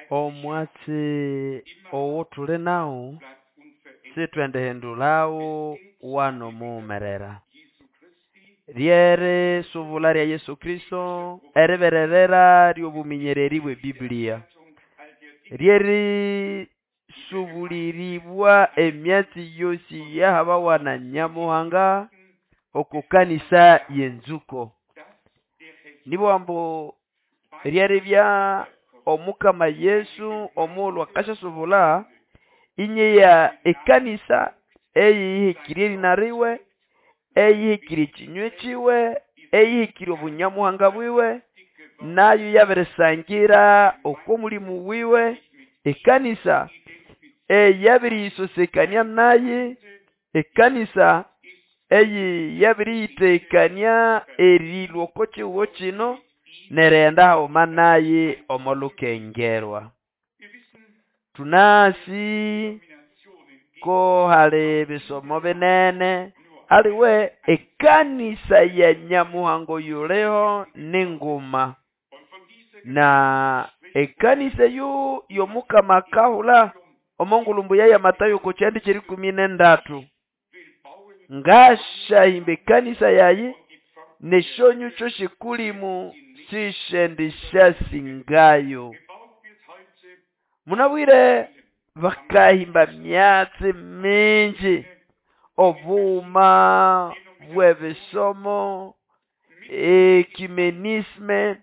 Omwatsi owo thuli nawu sithwendihindulhawo wano mughumerera. Lyerisubulha lya Yesu Kristo eribererera lyobuminyererĩ bwe Biblia. Lyerisubuliribwa emyatsi yosi eyahabawa na Nyamuhanga oko kanisa ye nzuko. Nibugha ambu lyeribya Omukama Yesu omughulhu akasyasubulha inyeya ekanisa eyihekĩre erĩna liwe, eyihekĩre ekinywe kiwe, eyihekĩre obunyamuhanga bwiwe, nayo iyabirisangira oko mulimo wiwe ekanisa eyabiriyisosekania naye, ekanisa eyabiriyitegekania erilhwa oko kihugo kino nerighenda haghuma naye omo lukengerwa. Thunasi ko hali ebisomo binene aliwe ekanisa ya Nyamuhanga oyuliho ninguma na ekanisa eyo yomukama akahulha omo ngulhu mbuya ya Matayo oko kihande kyerikumi nendatu. Ngasyahimba ekanisa yayi nesyonyukyo sy'ekulimu sisyendiasyasingayo. Munabwire bakahimba myatsi mingi obughuma bw'ebisomo, ecumenisme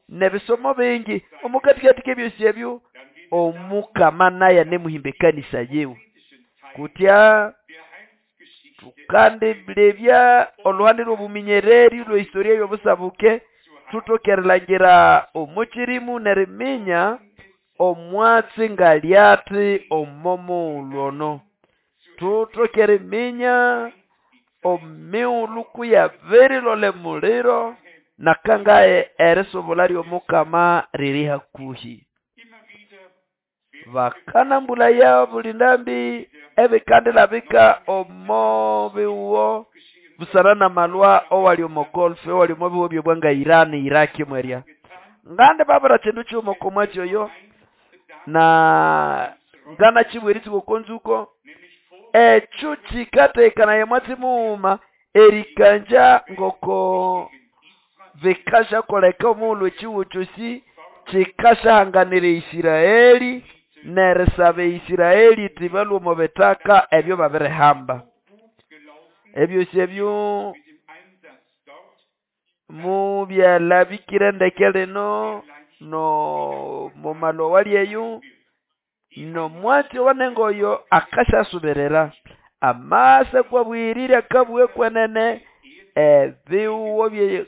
nebisomo bingi omokathikathi k'ebyosi ebyo Omukama naye anemuhimba ekanisa yiwe. Kutya thukandilebya olhuhande lhw'obuminyererĩ olwe history y'obusabuke thuthoke erilhangira omo kyirimu neriminya omwatsi ngalyathi omo mughulhu ono. Thuthoke eriminya emighulhu kuyabirilolha emuliro nakangahi erisubulha ly'omukama riri hakuhi. Bakanambulaya obuli ndambi ebikandilabika omo bihugho busana n'amalhwa owali omo Golf owali omo bihugho ebyobwa nga Iran, Iraq mwerya. Ngandi babwira kindu kighuma oko mwatsi oyo na nganakibugha eritsuku oko nzuko ekyo kikategekanaya omwatsi mughuma erikangya ngoko bikasyakoleka omughulhu ekihugho kyosi kikasyahanganira e Isiraeli nerisaba e Isiraeli iti balhwe omo bithaka ebyo babirihamba. Ebyosi ebyo mubyalabikire ndeke lino no momalhwa awali eyo nomwatsi owanengoyo akasyasubirira. Amasa kwabugirire akabugha kwenene ebihugho bye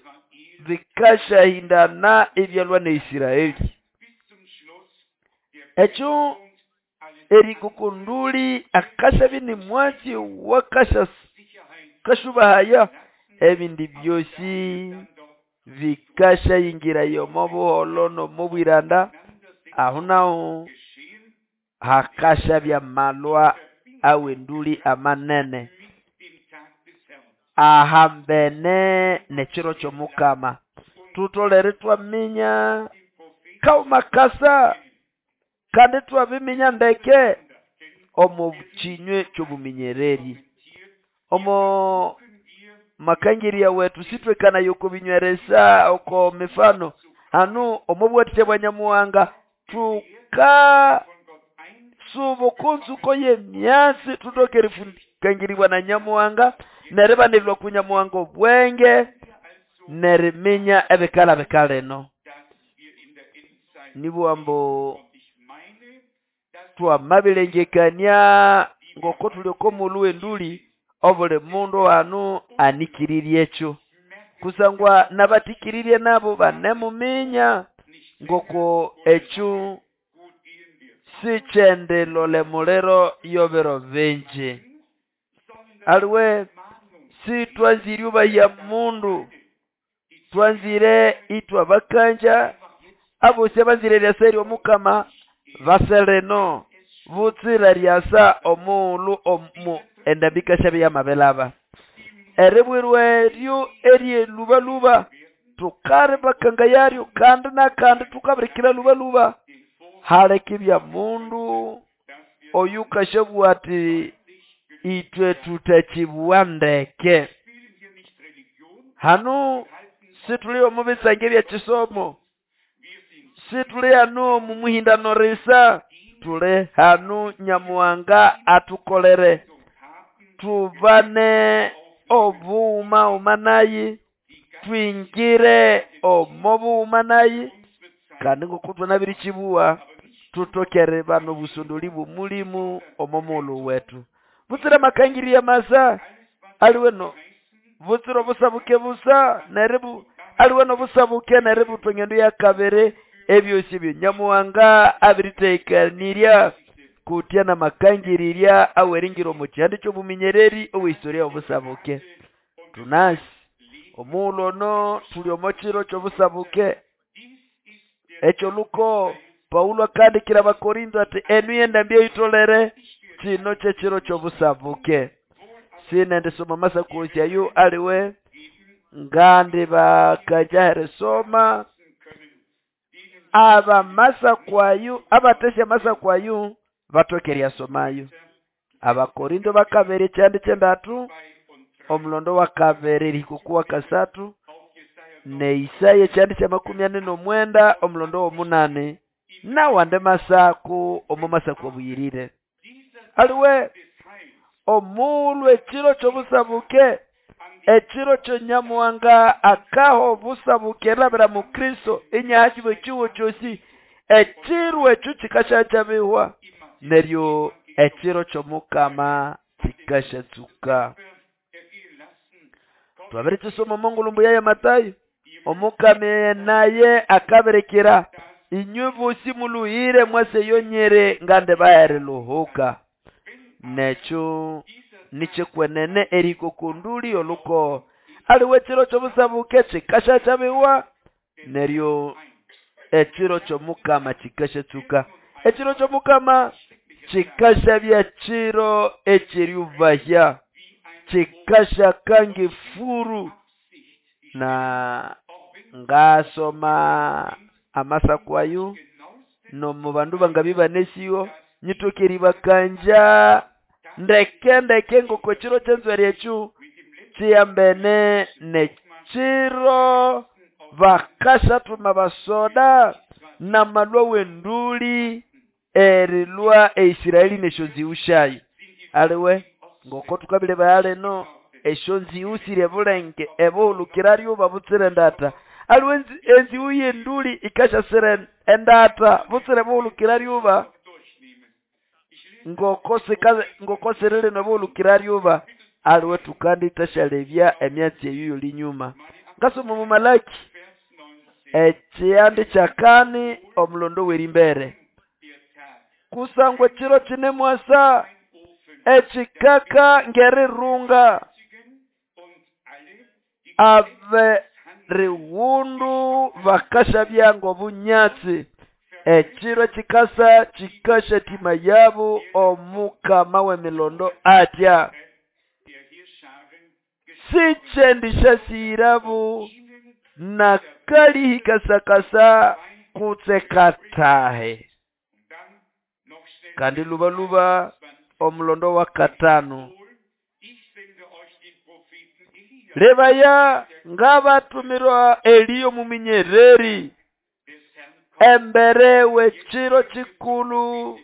bikasyahindana ibyalhwa ne Isiraeli. Ekyo erikokonduli akasyabya ini mwatsi owakasya kasyubahaya ebindi byosi bikasyayingiraya omo buholho nomo bwiranda aho naho hakasyabya amalhwa awenduli amanene ahambene n'ekiro ky'omukama. Thutholere ithwaminya kaghuma kasa kandi ithwabiminya ndeke omo kinywe ky'obuminyererĩ. Omo makangirya wethu sithwekanaya oko binyweresa oko mifano hanu omo buwathikya bwa Nyamuhanga thukasuba oko nzuko y'emyatsi thuthoke erikangiribwa na Nyamuhanga neribanilwa oku Nyamuhanga obwenge neriminya ebikalabika lino. Nibugha ambu twamabilengekania ngoko thuli oko mughulhu w'enduli obuli mundu hanu anikirirye ekyo kusangwa n'abathikirirye nabo banemuminya ngoko ekyo sikyendilolha emuliro y'ebiro bingi. Aliwe sithwanzire eribahya mundu thwanzire ithwabakangya abosi abanzire eryasa ery'omukama base lino butsira eryasa omughulhu omu endambi yikasyabya iyamabilhaba. Eribwirwa eryo ery'elhubalhuba. Tukaribakanga yaryo kandi na kandi tukabirikira lubaluba. Halekibya mundu oyukashabwa ati itwe tutakibwa ndeke. Hano situli omu bisange bya kisomo, situli hano mu muhindano risa, tuli hano Nyamuhanga atukolere tubane obuuma uma naye, twingire omo buuma naye, kandi ngoko twanabirikibuwa tutokere bano busondoli bw'omulimu omo mulu wetu. Butsira makangiri masa aliwe no butsira obusabuke busa neribu aliwe no busabuke neribu twengendo ya kabere ebyosi byo Nyamuhanga abiritekanirya kutya na makangirirya aweringira omu kyandi ky'obuminyereri owehistoria obusabuke. Tunasi omulo no tuli omo kiro ky'obusabuke ekyo luko Paulo akandikira Abakorinto ati enu yendambi eyitolere kino kyekiro ky'obusabuke. Sinendisoma masakosi ayo aliwe ngandi bakajaheresoma aba masakwayo abatesya masakwayo batokerya somayo. Abakorinto bakabere kyandi kyendatu omulondo wa kabere rikukuwa kasatu ne Isaya kyandi kya 49 omulondo wa 8 nawande masaku omo masaku obuyirire. Aliwe omulwe ekiro ky'obusabuke ekiro kyo Nyamuhanga akaho obusabuke labira mu Kristo inyahakiwe kiwo kyosi ekiro ekyo kikashakyabihwa neryo ekiro ky'omukama kikashatsuka. Twabirikisoma omongulumbu ya Matayo omukama naye akaberekera inywe bosi muluhire mwaseyonyere ngande bahere luhuka. Nekyo nichekwenene eriko kunduli oluko aliwe ekiro ky'obusabuke kikashakyabihwa neryo ekiro ky'omukama kikashatsuka. Ekiro ky'omukama kikashabya kiro ekiryubahya kikashakange furu. Na ngasoma amasakwayo no mu bandu bangabibanesiyo nyitokeri bakanja ndeke ndeke ngoko kiro kyenzweri ekyo kiyambene nekiro bakashatuma basoda na malwa wenduli erilwa eIsiraeli neshonziushayo. Aliwe ngoko tukabile bayaleno eshonziusire bulenge ebuhulukira babutsire ndata. Aliwe enziu yenduli ikashasire endata butsire buhulukira ryuba ngoko sirili nobuhulukira ryuba. Aliwe tukandi tashalebya emyatsi eyo linyuma. Ngasoma mu Malaki ekyandi kyakani omulondo werimbere kusangwa ekiro kine mwasa ekikaka ngerirunga abe riwundu bakashabya ngobunyatsi ekiro kikasa kikasha tima yabo omukama w'emilondo atya sichendishasirabu nakalihikasakasa kutsekatahe. Kandi lubaluba omulondo wa katano lebaya ngabatumirwa Eliyo muminyereri embere wekiro kikulu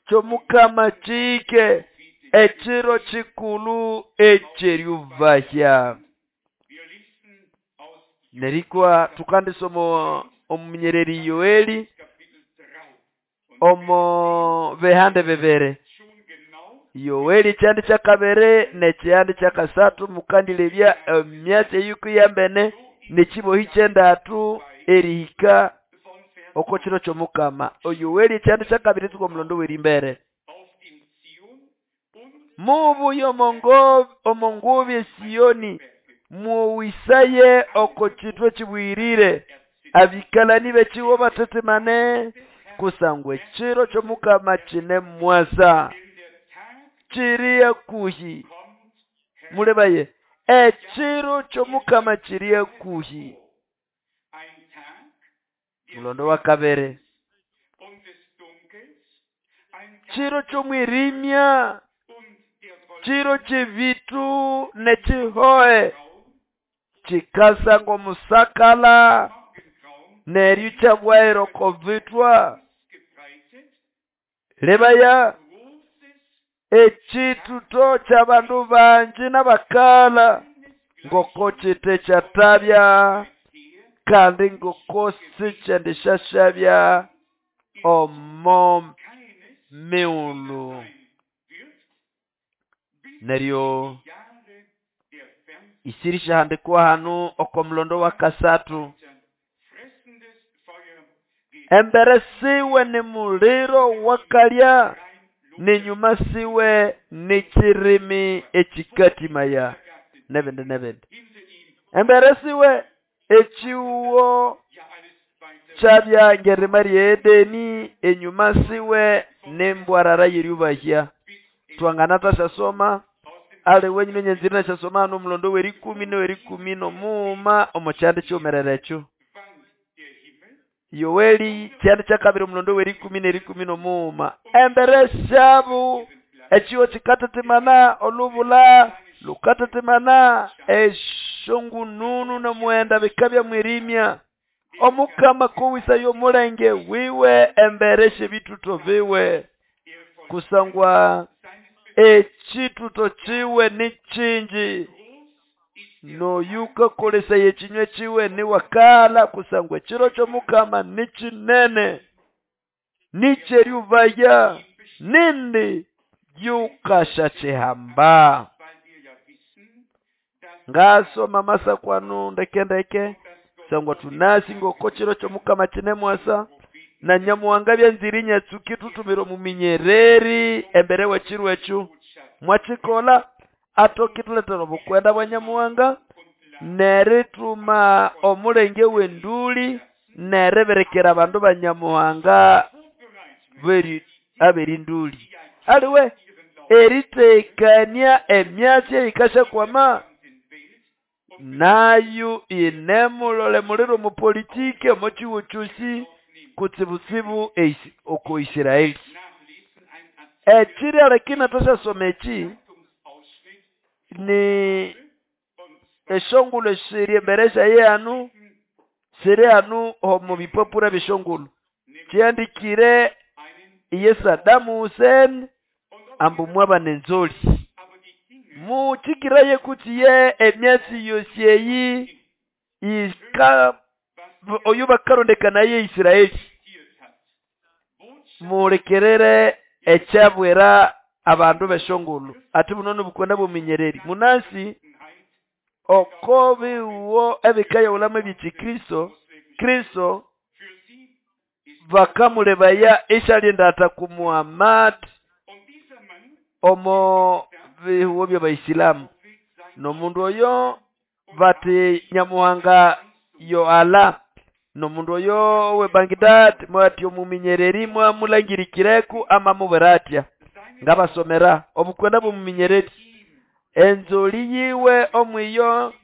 ky'omukama kike ekiro kikulu ekyeryubahya. Nerikwa tukandisoma omuminyereri Yoeli omo behande bebere Yoeli kyandi kyakabere nekyandi kyakasatu mukandilebya emyatsi eyuku yambene nekibohi kyendatu erihika oko kiro ky'omukama. Yoeli kyandi kyakabere tuko omulondo werimbere mubuyo omongobi Sioni muwisaye oko kitwe kibwirire abikalani bekiwo batetemane kusangwe ekiro ky'omukama kine mwasa kiriya kuhi mulebaye Ekiro ky'omukama kiri hakuhi. Mulondo wa kabiri, kiro ky'omwirimya, kiro ky'ebitu n'ekihohe, kikasa ng'omusakala neryo kyabwaira oko bitwa. Lebaya, ekituto ky'abandu bangi n'abakala ngoko kite kyatabya kandi ngoko sikyendishashabya omo miulu. Neryo isiri syahandikwa hanu oko mulondo wa kasathu. Embere siwe ni muliro wakalya, n'inyuma siwe ni kirimi ekikatimaya, n'ebindi n'ebindi. Embere siwe ekiwo kyabya ng'erima rye Edeni, enyuma siwe n'embwarara y'eryubahya. Twanganathasya ali wenyine nyanzire nasyasoma hano omulondo w'erikumi n'owerikumi n'omughuma omo kyanda kyighumerere ekyo. Yoeli kyanda kyakabiri omulondo w'erikumi n'erikumi n'omughuma. Embere syabo ekiho kikatetemana, olubula lukatetemana, esyongununu n'omughenda bikabya mwirimya. Omukama akowĩsaya omulenge wiwe embere sy'ebituto biwe, kusangwa ekituto kiwe ni kingi, n'oyukakolesaya ekinywa kiwe niwakala, kusangwa ekiro ky'omukama ni kinene, niky'eryubaya, nindi yukasyakihamba. Ngasoma amasakwanu ndeke ndeke, kusangwa tunasi ngoko kiro ky'omukama kinemwasa, na Nyamuhanga byanzire inyatsuka ithuthumira omuminyereri embere w'ekiro ekyo. Mwakikola atoke ithulethera obukwenda bwa Nyamuhanga nerithuma omulenge w'enduli neribirikira abandu ba Nyamuhanga ab'erinduli. Aliwe eritekania emyatsi eyikasyakwama nayo inemulole muliro omu politiki omo kiwo kyosi kutsibutsibu oko Isiraeli. Ekiri lakini natashasoma eki ni eshongolo siri embere syaye hanu, siri hanu omu bipapura by'eshongolo. Kyandikire iye Saddam Hussein ambu mwabana enzoli. Mukikiraye kuti ye emyatsi yosi eyi ika oyu bakarondekana ye Isiraeli. Mulekerere ekyabwera abandu b'eshongolo. Ati buno n'obukwenda bw'omuminyereri. Munasi oko biwo ebikayawulamo eby'ekikristo, Kristo bakamulebaya isyalinda ku Muhammad omo bihuwo by'Abaisilamu. N'omundu oyo bati Nyamuhanga yo Allah. N'omundu oyo we Baghdad mwati omuminyereri mwamulangirikireku amamubwira atya. Ngabasomera obukwenda bw'omuminyereri. Enzoli yiwe omwiyo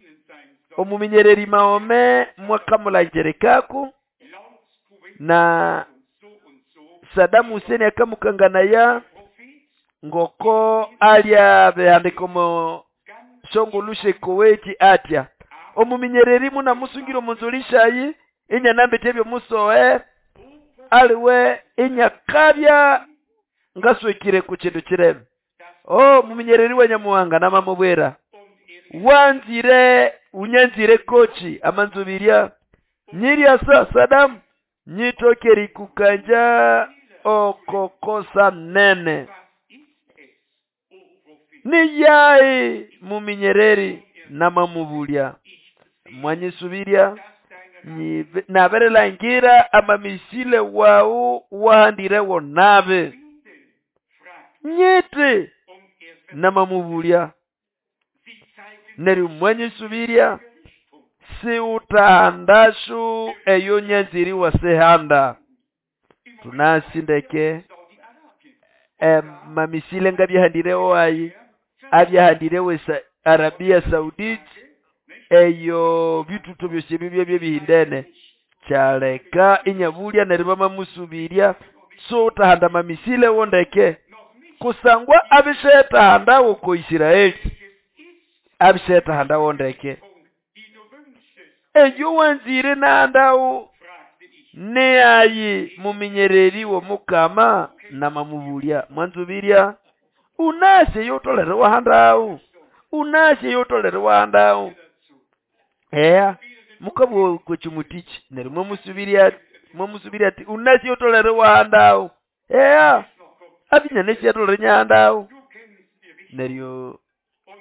omuminyereri Maome mwakamulangirikaku na Saddam Hussein akamukanganaya ngoko alya behandika omo shongolushe Kuwait atya. Omuminyereri munamusungira omunzoli shayi inyanambete ebyo musoe aliwe inyakabya ngaswekire ku kintu kirebe. Oh, muminyereri wa Nyamuhanga namamubwera wanzire unyanzire kochi amanzubirya nyirya sa Saddam nyitokeri kukanja okokosa nene niyai muminyereri namamubulya mwanyisubirya naberelangira amamisile wau wahandirewo nabe nyiti namamubulya neryo mwanyisubirya siutahandashu eyo nyanziri wasehanda. Tunasindeke mamisile ngabyahandirewo ayi abyahandirewo Arabia Saudite, eyo bitutu byosi ebyo byabya bihindene. Kyaleka inyabulya neryo bamamusubirya sotahanda mamisile wondeke kusangwa abishetahanda ko Israeli, abishetahanda wondeke. Eyo wanzire nandawo neayi muminyereri w'omukama namamubulya mwanzubirya unasye yotolere wahandawo, unasye yotolere wahandawo. Eya mukabwo kwechumutichi neryo mwamusubirya ati unasye yotolere wahandawo. Eya abinyane syatolere nyahandawo. Neryo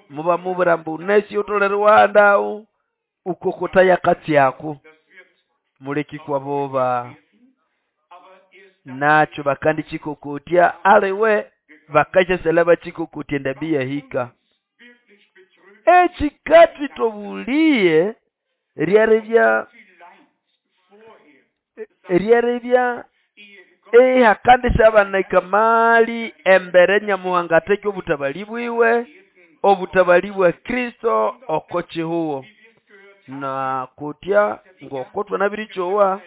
muba mubura mbu unasye yotolere wahandawo ukokota yakatsyako muleki kwa boba nacho bakandi chikokotya aliwe bakachesela bachikokotya ndabi yahika. Echikati tobuliye ryaribya ehakandisha abaneka mali embere Nyamuhanga teke obutabali bwiwe, obutabali bwa Kristo okochihuo. Na kutya ngokotwa nabirichowa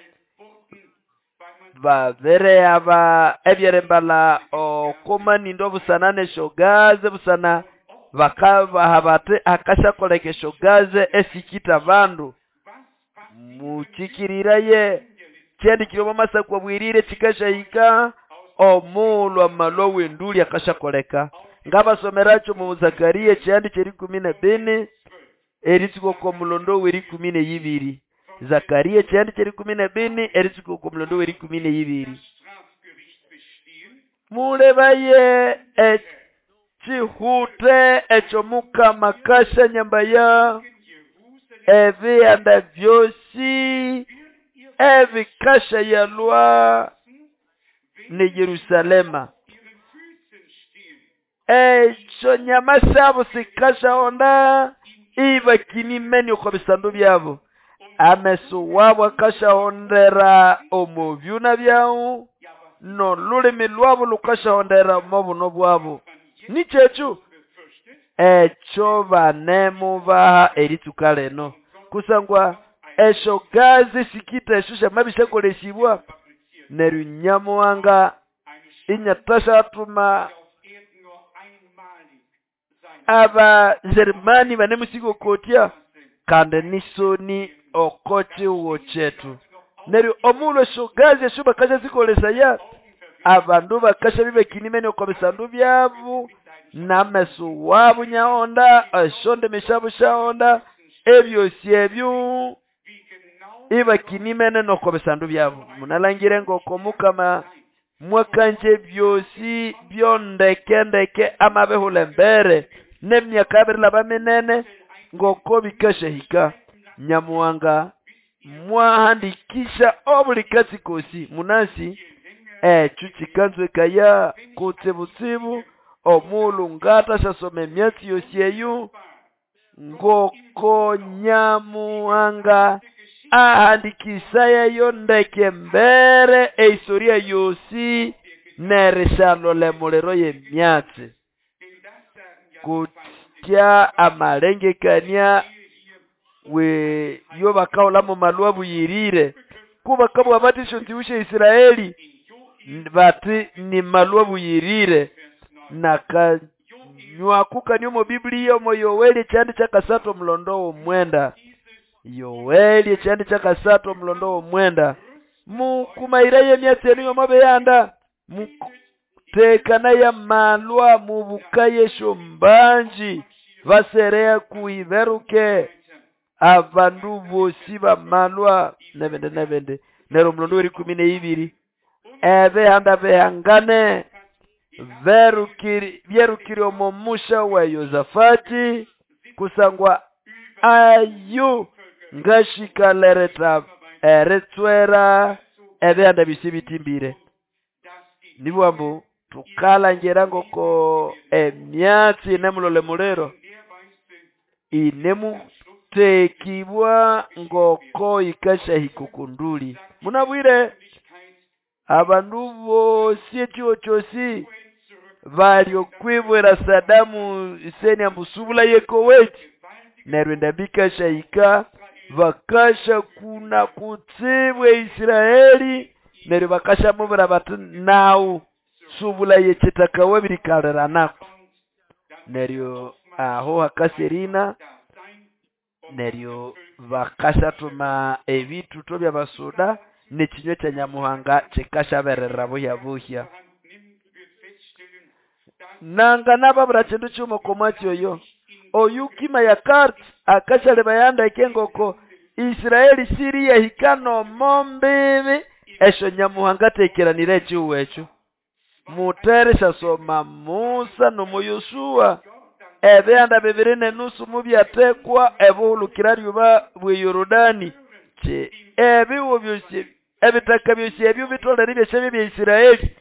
babere aba ebyerembala okomanindo busana neshogaze busana bakabaha bate akashakoleka eshogaze esikita bandu muchikirira ye kyandikirwe mamasakwa bwirire chikashahika omulwa malwa wenduli akashakoleka. Ngabasomeracho mu Zakaria kyandi kyeri 14 eritsuko ko mulondo weri 12. Zakaria kyandi kyeri 14 eritsuko ko mulondo weri 12. Mulebaye echihute echo mukama kasha nyambaya ebiyanda byosi ebikasha yalwa ne Yerusalema. Echo nyama syabo sikasha onda ibakinimeni okwa bisando byabo. Ameso wabo akashahondera omu byuna byawo no lulimi lwabo lukashahondera omu buno bwabo. Nichechu echo banemubaha eritsuka leno kusangwa esho gazi sikita esho shamabishakoleshibwa neryo Nyamuhanga inyatashatuma aba Jerumani banemusikokotya kandi nisoni okochiwo chetu. Neryo omulo esho gazi esho bakasha zikolesa ya abandu bakasha bibekinimene okwa bisandu byabo nameso wabo nyaonda eshonde mishabo shaonda ebyosi ebyo ibakinimene nokwa bisandu byabo. Munalangire ngoko mukama mwakanje byosi byondekendeke amabehule mbere nemyaka abirilaba minene ngoko bikashahika. Nyamuhanga mwahandikisha obulikasi kosi munasi echu chikanzwekaya kutsibutsibu omulu ngata shasoma emyatsi yosi eyo ngoko Nyamuhanga ahandikisa yeyo ndeke mbere eisoria yosi nerishalole muliro yemyatsi kutya amalengekania we yo bakaola mu malwa buyirire kuba kabwa batisho ntiushe Israeli bati ni malwa buyirire nakanywakuka nyomo Biblia mo Yoeli chandi cha kasato mlondo mwenda. Yoeli chandi cha kasato mlondo mwenda mukumaira yemyatsi enu mabeyanda mutekana ya malwa mubukaye shombanji vaserea kuiveruke abandu bosi bamalwa nebende nebende. Nero mlondo weri 12 ebehanda behangane verukiri byerukiri omumusha wa Yosafati kusangwa ayu ngashikalereta eretswera ebehanda bisibitimbire. Nibwambu tukalangera ngoko emyatsi nemulole mulero inemutekibwa ngoko ikashahikukunduli. Munabwire abandu bosi echiwo chosi Bali okwibwira Sadamu Hussein ambu subula ye Kuwait. Neryo endambi ikashahika bakasha kuna kutsibwa Israeli neryo bakashamubwira bati nawu subula yekitaka wabirikalira neryo aho hakaserina neryo bakashathuma ebithuto byabasuda nekinywa kya Nyamuhanga kikashaberera buhya buhya. Nanga nababura kindu kyuma okomwatsi oyo oyu kima ya kart akashaleba yandeke ngoko Israeli siri yahika nomo mbibi esyo Nyamuhanga atekeranire ekihugo ekyo. Mutere syasoma Musa nomo Yoshua ebihanda 2.5 mubyatekwa ebuhulukira lyuba bwe Yorodani ebiwo byosi ebitaka byosi ebyo bitolere byeshabye bya Israeli.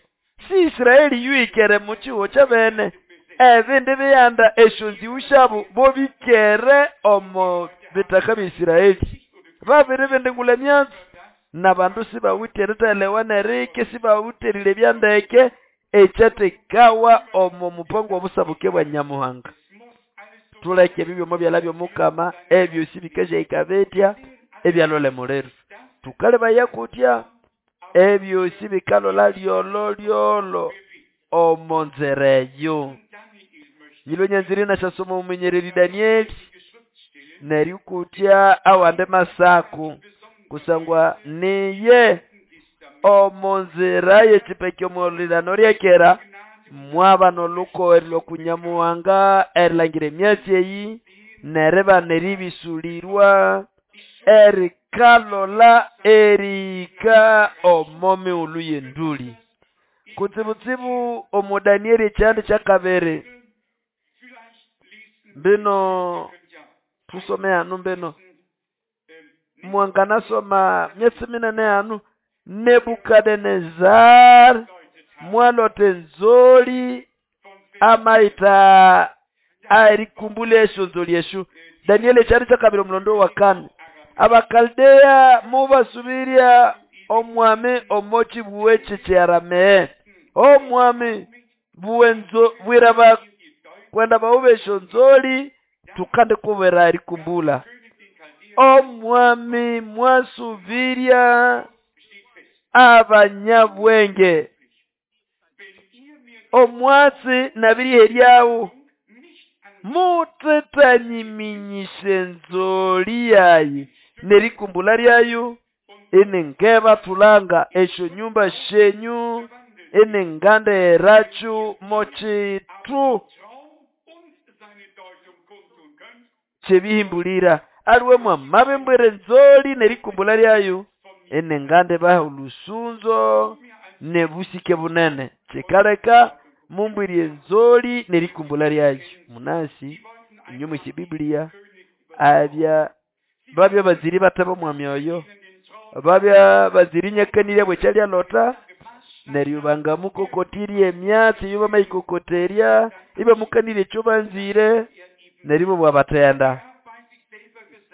Si Israeli yuikere mu kihugo kyabene ebindi bihanda esyo nziwu syabo bobikere omo bitaka bya Israeli. Babiri bindingula emyatsi nabandu sibawithe erithelewa nerike sibawitherire byandeke ekyatekawa omo mupango obusabuke bwa Nyamuhanga. Tuleke ebyo byomo byala by'omukama ebyosi bikashahika bitya ebyalole muliro. Tukalebaya kutya ebyosi bikalola lyolo lyolo omo nzira eyo. Nyilwe nyanziri nasyasoma omumenyereri Danieli neryo kutya awande masako kusangwa niye omo nzira yekipeki omulirano ryekera mwaba noluko erilo kunyamuhanga erilangira emyatsi eyi neriba neribisulirwa erikalola erika omo mighulhu yenduli. Kutsibutsibu omo Danieli ekyandi kyakabiri mbino tusome hanu mbino mwanganasoma myatsi minene hanu. Nebukadnezar mwalote nzoli amaita arikumbule esyo nzoli esyo. Danieli ekyandi kyakabiri omulondo wa kane. Abakaldeya mubasubiria omwami omochi buweche kyaramee omwami buwenzo bwiraba kwenda baubesho nzoli tukande kubera erikumbula. Omwami mwasubiria abanyabwenge omwatsi nabiri eryawo mutetanyiminyishe nzoli yayi nerikumbula lyayo enengeba tulanga esyo nyumba shenyu enengande erachu mochitu kyebihimbulira aliwe mwamabembwere nzoli nerikumbula lyayo enengande baha olusunzo nebusike bunene kikaleka mumbwirye nzoli nerikumbula lyayo. Munasi inyuma isi Biblia abya babya baziri bataba mwami oyo babya baziri nyakanirya bwekyalya lota neryo bangamukokotirye emyatsi iyo bamayikokoterya ibamukanirye ekyo banzire neryo bwabatenda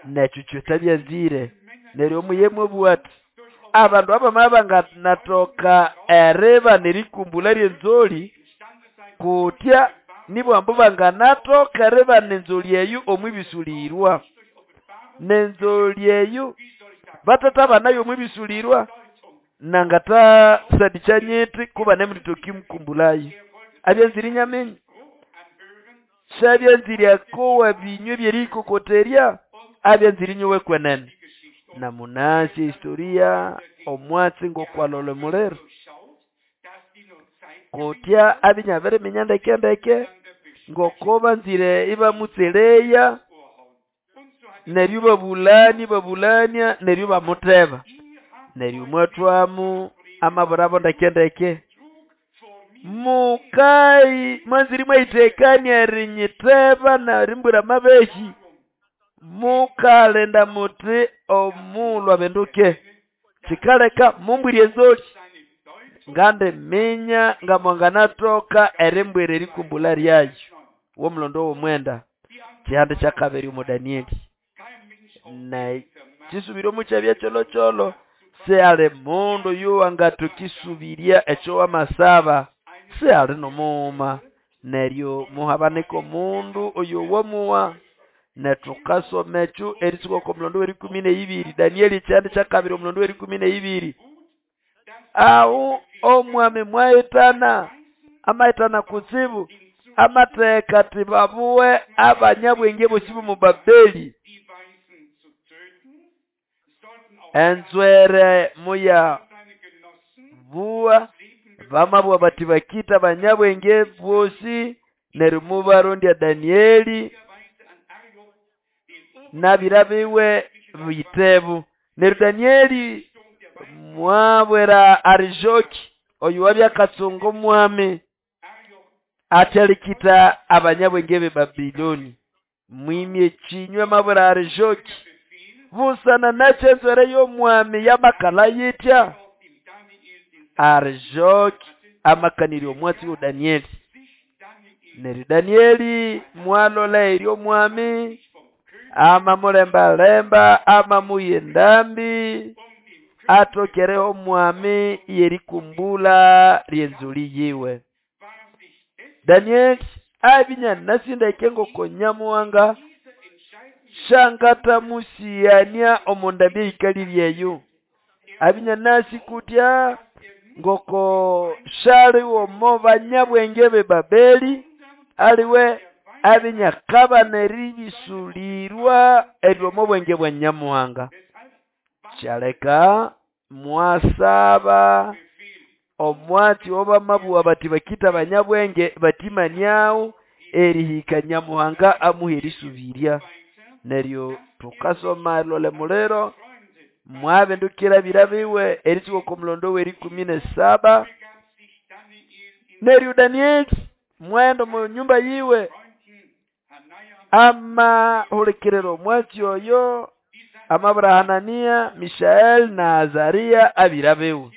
nekyo kyotabyanzire neryo omuyemwe bwati abandu abamabanganatoka ereba nerikumbula lyenzoli kutya nibwambu banganatoka ereba nenzoli eyo omwibisulirwa nenzoli eyo batata banayo omwibisulirwa nangata sadichanyeti kuba nemritoki mkumbulayo abyanziri nyamenyi shabyanziri akowa binywe byerikokoterya abyanziri nyowe kwenene. Na munasi historia omwatsi ngokwalole mulero kutya abinyabere minyandeke ndeke ngokoba nzire ibamutseleya neryo babulani babulania neryo bamuteba neryo mwatwamu amaburabo ndeke ndeke mukai mwanziri mwayitekania rinyiteba na rimbura mabehi mukalenda muti omulwa benduke kikaleka mumbwirye nzoli ngande minya ngamwanganatoka erimbwire erikumbula lyayo womulondo womwenda kihande kyakabiri omu Danieli na kisubiro mukyabya kyolokyolo se ale mundu yuwangatukisubiria ekyo wamasaba. Sihali n'omughuma. Neryo muhabanika omundu oyo wamuwa. Netukasoma ekyo erisuka oko mulondo w'erikumi n'eibiri, Danieli ekyihanda kyakabiri omulondo w'erikumi n'eibiri. Aho omwami mwahitana, amahitana kutsibu, amatheka ati babuwe abanyabwenge bosi b'omu Babeli. Enzwere muya buwa, bamabugha bati bakita abanyabwenge bosi, neryo mubarondya Danieli n'abira biwe bitebu. Neryo Danieli mwabwira Arijoki oyo wabya akatsunga omwami ati alikita abanyabwenge b'e Babiloni. Mwimye ekinywa mabwira Arijoki, busana nakyo enzwere y'omwami yamakala yitya. Arijoki amakanirya omwatsi wa Danieli. Neryo Danieli mwalola eryo omwami amamulembalemba, amamuha endambi, atokereho omwami yerikumbula ry'enzuli yiwe. Danieli abinya nasindeke ngoko Nyamuhanga shangatamusiyania omu ndambi eyikali ryeyo. Abinya nasi kutya ngoko shaliwo omo banyabwenge b'e Babeli, aliwe abinyakabana eribisulirwa eryo omo bwenge bwa Nyamuhanga. Kyaleka mwasaba omwatsi obamabuwa bati bakita abanyabwenge batimaniawo erihika Nyamuhanga amuha erisubiria. Neryo tukasoma lole muliro mwabindukira bira biwe erisuka oko mulondo w'erikumi n'esaba. Neryo Danieli mwenda omu nyumba yiwe amahulikirira omwatsi oyo amabura Hanania, Mishaeli na Azaria abira biwe.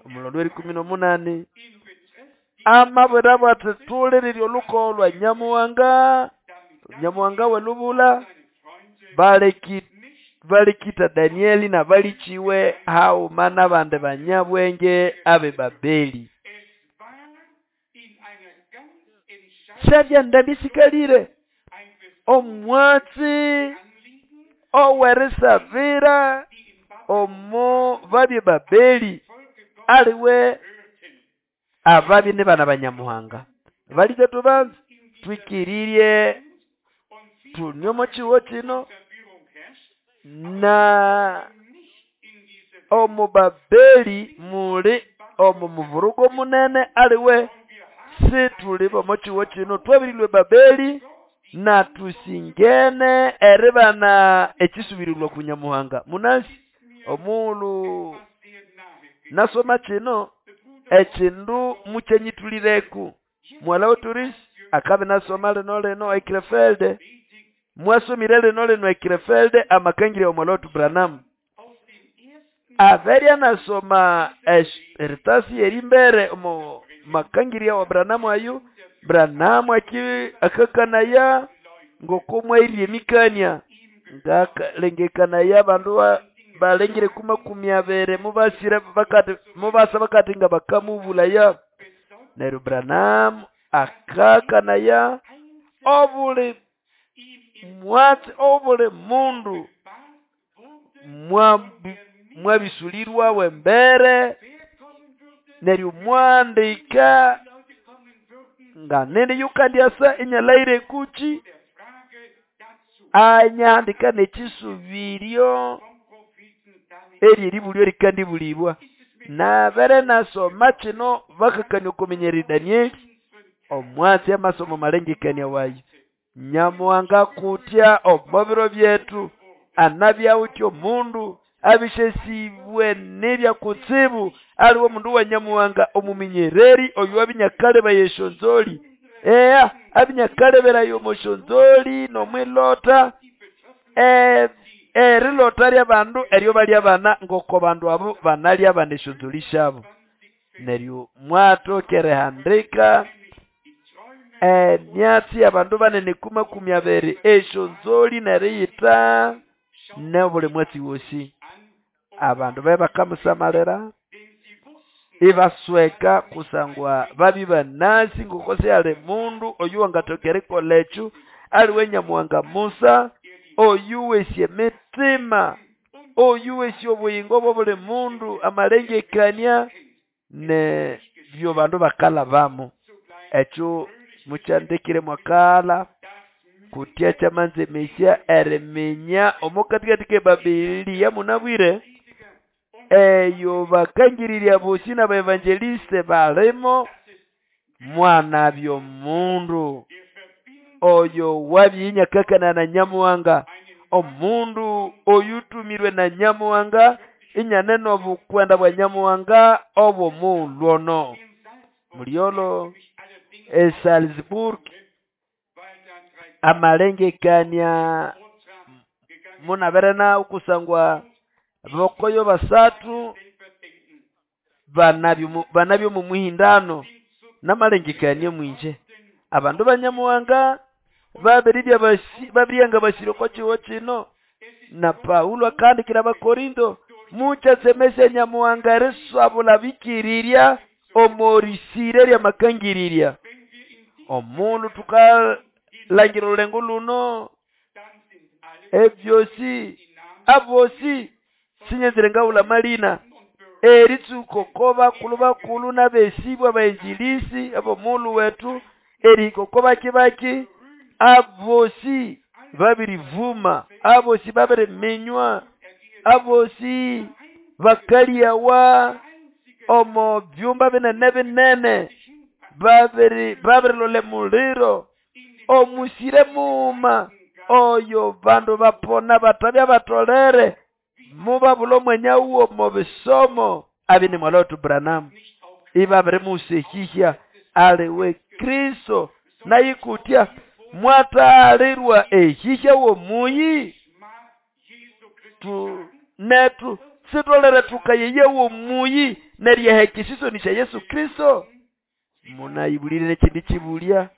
Omulondo w'erikumi n'omunani amabwira bwati tulirire olukogo lwa Nyamuhanga, Nyamuhanga welubula. Balikita Danieli na balichiwe hauma n'abandi banyabwenge abe Babeli. Syabya ndambi sikalire omwatsi owerisabira omo babye Babeli aliwe ababi ni bana banyamuhanga. Balije tubanze twikirirye tunyomo chiwo kino na omu Babeli muli omu muvurugo munene aliwe situli bomo chiwo kino twabirilwe Babeli na tusingene eribana ekisubirirwa ku Nyamuhanga. Munasi omulu nasoma kino ekindu mukyenyitulireku. Mwala oturisi akabe nasoma lino lino ekrefelde, mwasomire lino lino ekrefelde amakangire omwala otu Branham. Aberya nasoma eritasi yerimbere omu makangiria wa Branham ayo. Branham akakanaya ngokomwairie mikania ngalengekanaya bandu balengire kuma kumi abere mubasire bakati mubasa bakati nga bakamubulaya. Neryo Branham akakanaya obuli mwatsi obuli mundu mwabisulirwa wembere. Neryo mwandika nga nene yukandyasa enyalaire kuchi anyandika nekisubirio eri eribulyo rikandibulibwa. Nabere nasoma kino bakakania okumenyera Danieli omwatsi amasomo malengekania wayo. Nyamuhanga kutya omo biro byetu anabyawutya omundu abishesibwe n'ebya kutsibu aliwo omundu wa Nyamuhanga omumenyereri oyo abinyakaleba yeshonzoli. Eya abinyakaleberayo omushonzoli n'omwilota erilota ly'abandu eryo balya bana ngoko bandu abo banalya bana eshonzoli shabo. Neryo mwatokerehandika emyatsi y'abandu banene kuma kumi abiri eshonzoli neriyita n'obuli mwatsi wosi. Abandu be bakamusamalira Ibasweka kusangwa babya banasi ngoko sihali mundu oyu wangathoka erikolha ekyo aliwe Nyamuhanga Musa oyu wesi emitima oyu wesi obuyingo bw'obuli mundu amalengekania ne byo bandu bakalhabamo. Ekyo mukyandekire mwakala kutya kyamanzemesya eriminya omo katikati k'ebabilia munabwire eyo bakangirirya bosi n'abaevangeliste balimo mwanabya omundu oyo wabyinyakakana na Nyamuhanga, omundu oyutumirwe na Nyamuhanga inyane n'obukwenda bwa Nyamuhanga obw'omughulhu ono. Mulyolo e Salzburg amalengekania munabere nawo kusangwa bokoyo basathu banabyo mu muhindano namalengekania mwinje abandu ba Nyamuhanga babiribya basire oko kiho kino na Paulo akandikira Abakorinto mukyatsemesya Nyamuhanga eriswabula bikirirya omorisire ryamakangirirya. Omundu tukalangira olulengo luno ebyosi abosi sinyenzire ngawula malina eritsuko ko bakulu bakulu n'abesibwa abainjilisi ab'omughulhu wetu erihika oko baki baki abosi babirivuma abosi babiriminywa abosi bakalyawa omo byumba binene binene babirilole muliro omusire muuma oyo bandu bapona batabya batolere mubabula omwanya wuwo mu bisomo abini mwala wetu Branham ibabirimusehihya aliwe Kristo nayikutya mwatalirwa ehihya womuyi tu netu sitolere tukayeye womuyi neryehekisisoni sya Yesu Kristo. Munayibulire ekindi kibulya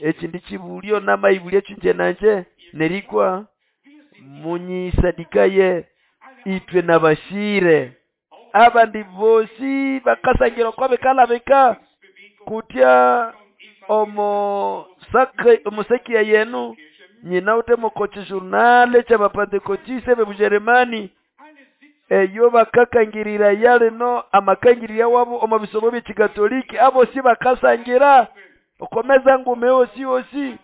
ekindi kibulyo namayibulya kyinje nanje nerikwa munyisadikaye itwe nabashire abandi bosi bakasangira oko bikalabika kutya omusakiya yenu nyina ute mokochi journal ky'abapantekotiste b'Ebujeremani eyo bakakangirira yalino amakangirira wabo omu bisomo by'ekikatoliki abosi bakasangira okomeza ngume osi osi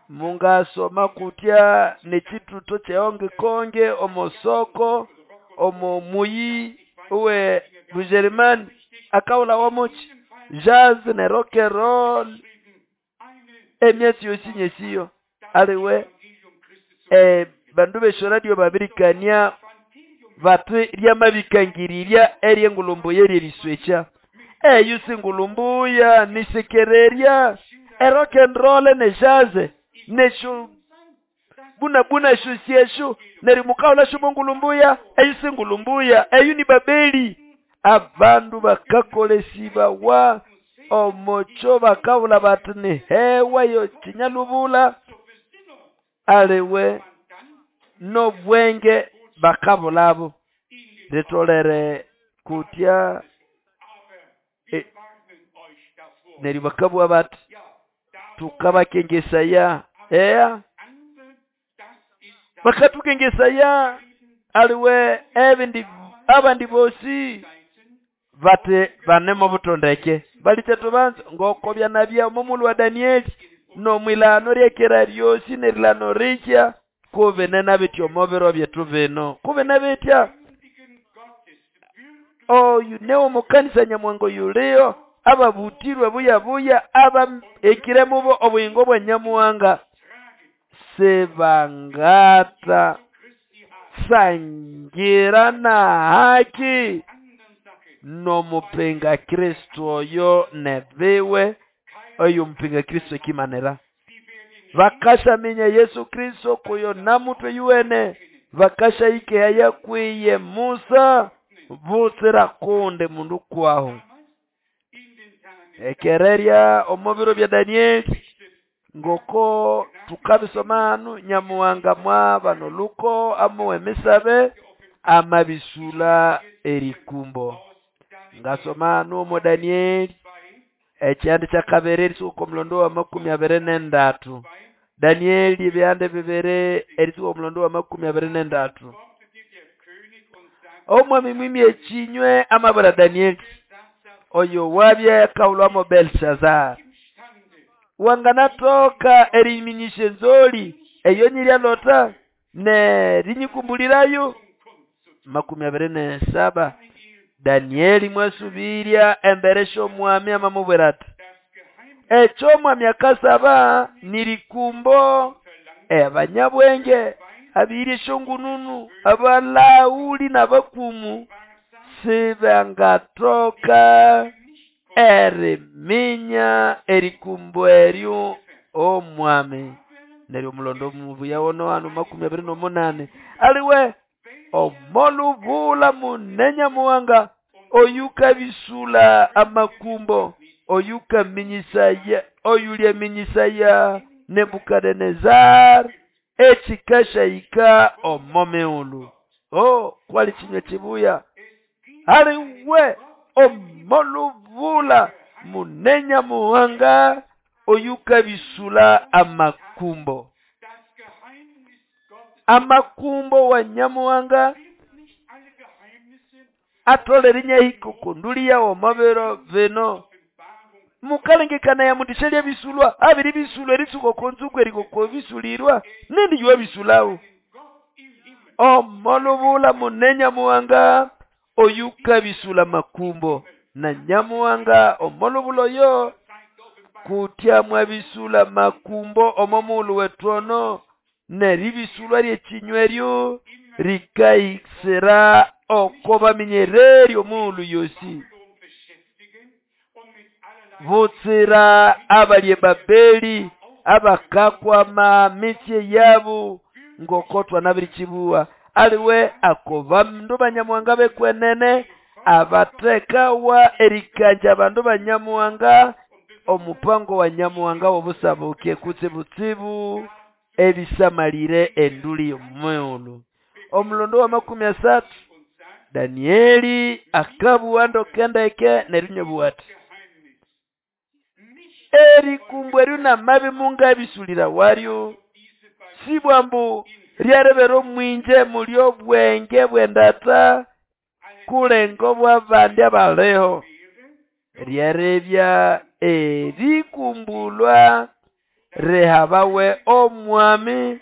mungasoma kutya nekituto kyehonge konge omosoko omo muyi uwe Bujeremani akawula wamochi jazz ne rock and roll emyesi yosi nyesiyo aliwe bandu beshoradio babirikania batu ryamabikangirirya eryengulumbu yeryeriswecha eyo singulumbuya nisekererya e rock and roll ne jazz nesho buna buna shusieshu nerimukawula shubongulumbuya eyo singulumbuya eyo ni Babeli. Abandu bakakolesibawa omocho bakawula bati ni hewa yo kinyalubula aliwe nobwenge bakabulabo ritolere kutya neri bakabwa bati tukabakengesaya eya bakatukengesaya aliwe ebindi abandi bosi bate banemo butondeke balichetu banzo ngoko byanabya omumulu wa Danieli nomwilano ryekera ryosi nerilano rikya kubenena bityo mobiro byetu bino kubena bitya oyu newo mukanisa Nyamuhanga yuliyo ababutirwe buya buya aba ekire mubo obuyingo bwa Nyamuhanga sebangata sangira na haki nomupinga Kristo oyo nebiwe oyo mupinga Kristo ekimanera bakashaminya Yesu Kristo kuyo namutwe yuwene bakasha ikeya kwiye Musa butsira kunde mundu kwaho ekererya omubiro bya Danieli ngoko tukabisomanu Nyamuhanga mwaba noluko amuwe misabe amabisula erikumbo. Ngasoma numo Danieli ekyihande kyakabiri erisuka omulondo wa 23. Danieli ebihande bibiri erisuka omulondo wa 23. Omwami mwimye ekinywe amabwira Danieli oyo wabye kaulwamo Belshazar wanganatoka eriminyisha enzoli eyo nyiryalota nerinyikumbulirayo. 27 Danieli mwasubirya embere sh'omwami amamubwira ati ekyo omwami akasaba nirikumbo abanyabwenge abirye eshongununu abalauli n'abakumu sibangatoka eriminya erikumbo eryo omwami. Neryo omulondo mubuya wono hano 28 aliwe omolubula munenya muwanga oyukabisula amakumbo oyukaminyisaya oyulyaminyisaya Nebukadnezar ekikashayika omomeulu. Oh, kwali chinywe chibuya aliwe omolubula munenya muwanga oyukabisula amakumbo. Amakumbo wa nyamuwanga atole rinyahiko kundulia omabero veno mukalengekana ya mundishelia bisulwa abiri bisulwa erisuko konzuko eriko bisulirwa nindi yuwa bisulao. Omolubula munenya muwanga oyuka bisula makumbo na nyamuwanga omolubulo yo kutya mwabisula makumbo omomulu wetono neribisulwa ryekinyweryo rikaisera okoba minyereri omulu yosi butsira abalye Babeli abakakwama mitye yabu ngokotwa nabirichibuwa aliwe akoba mndu banyamuwanga bekwenene abatekawa erikanja bandu banyamuwanga omupango wa nyamuwanga wobusabuke kutsibutsibu ebisamalire enduli yomuulu. Omulondo wa 30 Danieli akabuwa ndokendeke nerinyobuwati erikumbwe runa mabi munga bisulira waryo sibwambu ryarebero mwinje mulyo bwenge bwendata kulengo bwabandi abaleho ryarebya erikumbulwa rehabawe omwami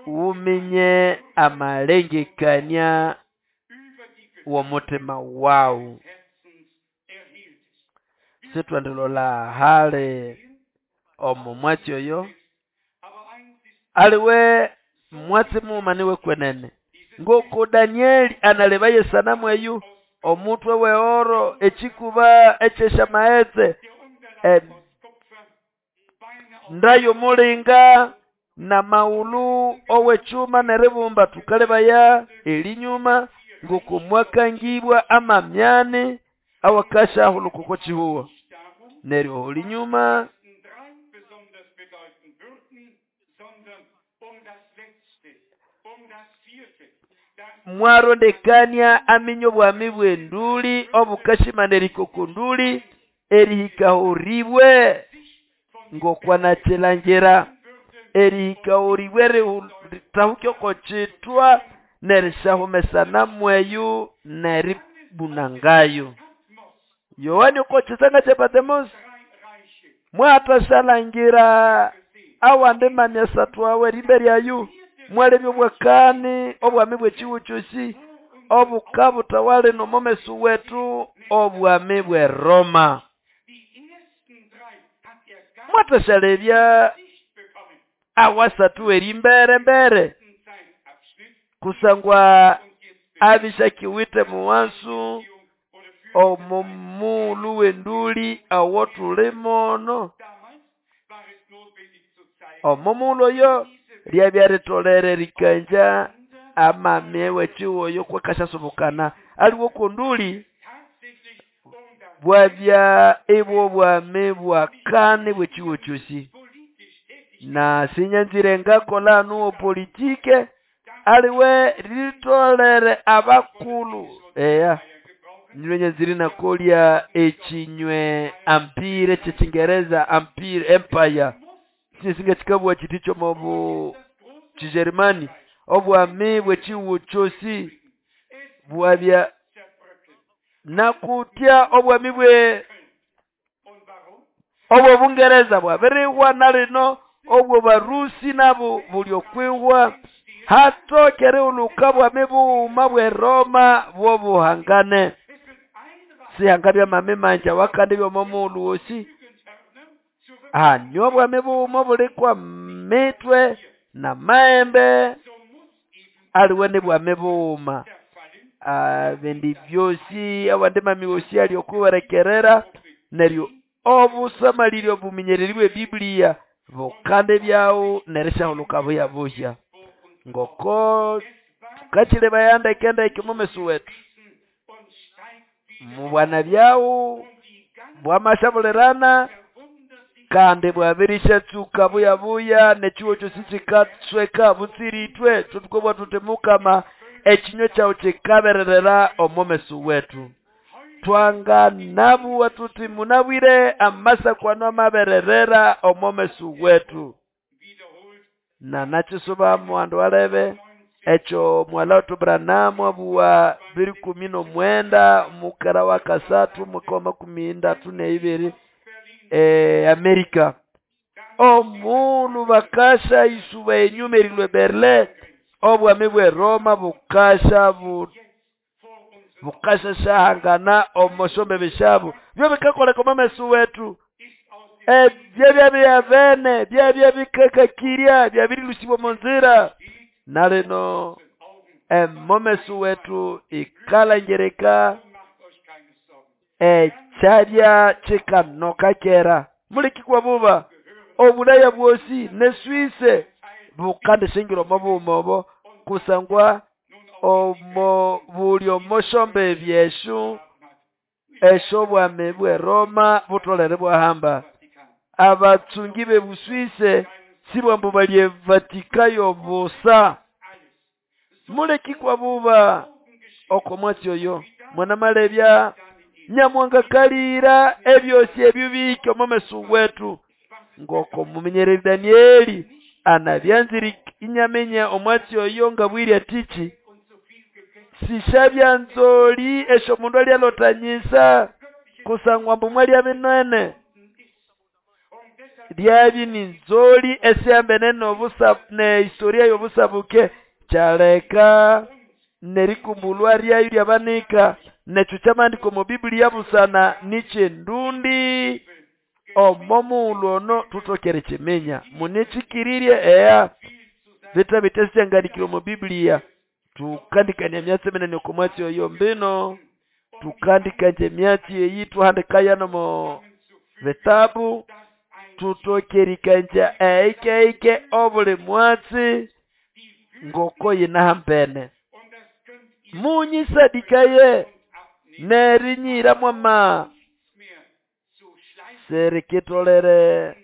uminye amalengekania womutima wawu. Sitwandilola hale omo mwatsi oyo aliwe mwatsi mumaniwe kwenene ngoko Danieli analebaye sanamu eyu omutwe weoro echikuba echeshamaetse ndayo mulinga na maulu owechuma neribumba tukalebaya elinyuma ngoko mwakangibwa amamyane awakasha hulukoko chihuwa neryo olinyuma mwarondekania aminyo bwami bwenduli obukashimaneriko kunduli erihikahuribwe ngokwanachelanjera erihikahuribwe ritahukyoko chitwa nerishahumesana mweyu neribunangayo. Yohani okochisanga chepatemos mwatashalangira awande mamyasatu awe riberyayu mwalebyo bwakani obwami bwechiwuchusi obukabutawale nomomesu wetu obwami bwe Roma. Mwatashalebya awasatu erimbere mbere kusangwa abishakiwite muwansu omomulu wenduli awotulimono omomulu oyo lyabyaritolere rikanja amamye wechiwoyo kwakashasubukana aliwo kunduli bwabya ebwo bwame bwakane bwechiwochosi na sinyanzire ngakola nuo politike aliwe ritolere abakulu eya. Nywe nyanzire nakolya echinywe ampire cheChingereza ampire empire singa chikabwa chiti chomobu Chijerumani obwami bwechiwu chosi bwabya nakutya obwami bwe obwo Bungereza bwabirihwa nalino obwo Barusi nabo buli okwihwa hatokere uluka bwami buuma bwe Roma bwobuhangane sihangabya mami manja wakandi byomomulu wosi anyo bwami buuma bulikwa mitwe na maembe aliwe ni bwami buuma bindi byosi awandi mami wosi ali okuwerekerera neryo obusamaliryo buminyereri bwe Biblia bukande byawo nerishahuluka buya buhya ngoko tukachile bayanda kenda ikimumesu wetu mubwana byawo bwamashabulirana kandi bwabirishatsuka buya buya nechiwo kyosi chikatsweka butsiritwe tutukobwa tutemukama echinywe kyawo chikabererera omumesu wetu twanga nabuwa tuti munabwire amasa kwano amabererera omumesu wetu na nachisuba muwandu alebe echo mwala Branham abuwa 2019 mukara wa kasatu mwaka wa 2032 Amerika omulu bakasha isuba enyuma erilwe Berlin obwami bwe Roma bukasha bukasha shahangana omoshombe beshabu byo bikakoleka omumesu wetu byabya bene byabya bikakakirya byabirilusibwa munzira nalino emomesu wetu ikalangereka echabya chikanoka kera mulikikwa buba obulaya bwosi ne Swisse bukande shingiro mabumobo kusangwa omo buli omoshombe byeshu esho bwame bwe Roma butolere bwahamba abatsungi be Buswisse sibwambu balye Vatikayo busa mulekikwa buba okomwatsi oyo mwana malebya nyamwanga kalira ebyosi ebyubike omumesu wetu ngoko mumenyereri Danieli anabyanziri inyamenya omwatsi oyo ngabwiri atichi sishabya nzoli esho mundu alyalotanyisa kusangwa mbu mwalya binene lyabi ni nzoli esiyambene nobusa ne historia yobusabuke kyaleka nerikumbulwa lyayo lyabanika necho kyamandiko mu Biblia busana nichendundi omomuulu ono tutokere chimenya munichikirirye eya vita bitesyangalikiro mu Biblia tukandikania myatsi minene okomwatsi oyo mbino tukandikanje myatsi eyi tuhandikaya nomo vitabu tutokerikanja eikeike obuli mwatsi ngoko yinahambene munyisadikaye nerinyira mwama serikitolere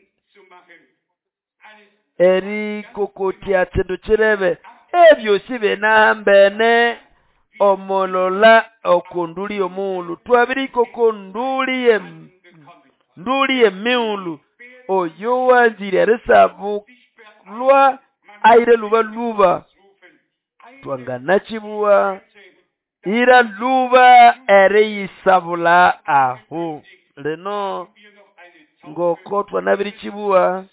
erikokotya chindu chirebe ebyosi binahambene omolola okunduli omuulu twabirikokonduli nduli emiulu oyo wanzire erisabulwa aire luba luba twanganachibuwa ira luba eriyisabula ahu lino ngoko twanabirichibuwa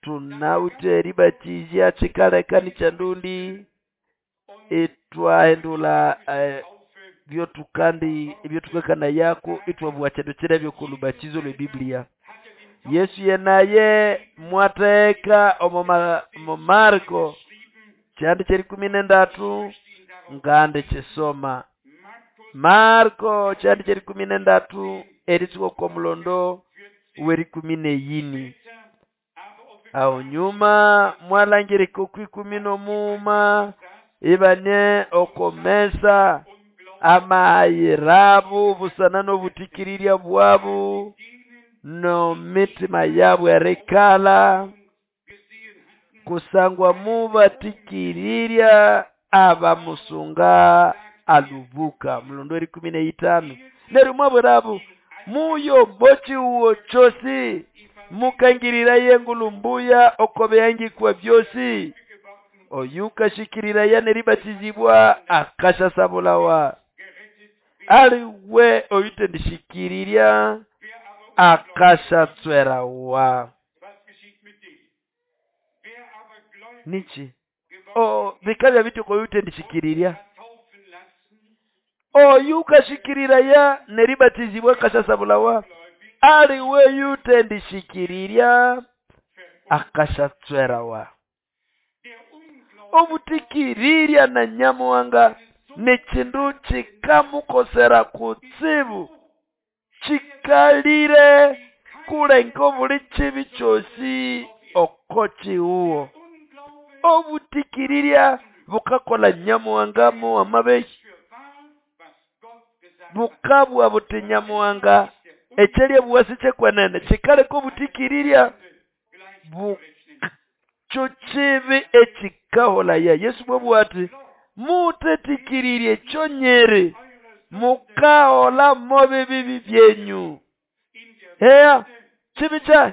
tunawite eribatizya chikaleka nichandundi itwahendula byotukandi ebyotukakana yako itwabuwa chindu chira byokulubatizo lwe Biblia Yesu yenaye mwateka omo Marko kyandi kyeri 13 ngande chisoma Marko kyandi kyeri 13 eritsuka kwa mulondo weri 14 aho nyuma mwalangirika ku 15 ibane okomesa amahayirabu busana n'obutikiriria bwabu no mitima yabwe erikala kusangwa mubatikiriria abamusunga Alubuka mulondo erikumi neitano neryo mwabwirabo muyo mochiwo chosi mukangiriraye engulu mbuya oko bihangikwa byosi oyukashikiriraya neribatizibwa akashasabulawa aliwe oyutendishikirirya akashatswerawa nichi o bikabya bityo koyutendishikirirya oyukashikiriraya neribatizibwa akashasabulawa aliwe yutendishikirirya akashatswerawa obutikirirya na nyamuhanga nekindu kikamukosera kutsibu kikalire kulenga obuli kibi kyosi oko kiwuwo obutikirirya bukakola nyamuhanga mo amabehi bukabwa buti nyamuhanga ekyerya buwasi kyekwenene kikaleka obutikirirya kyo kibi ekikaholaya Yesu mwabugha ati mutetikiririe kyonyere mukahola mobibibi byenyu heya kibi kyahi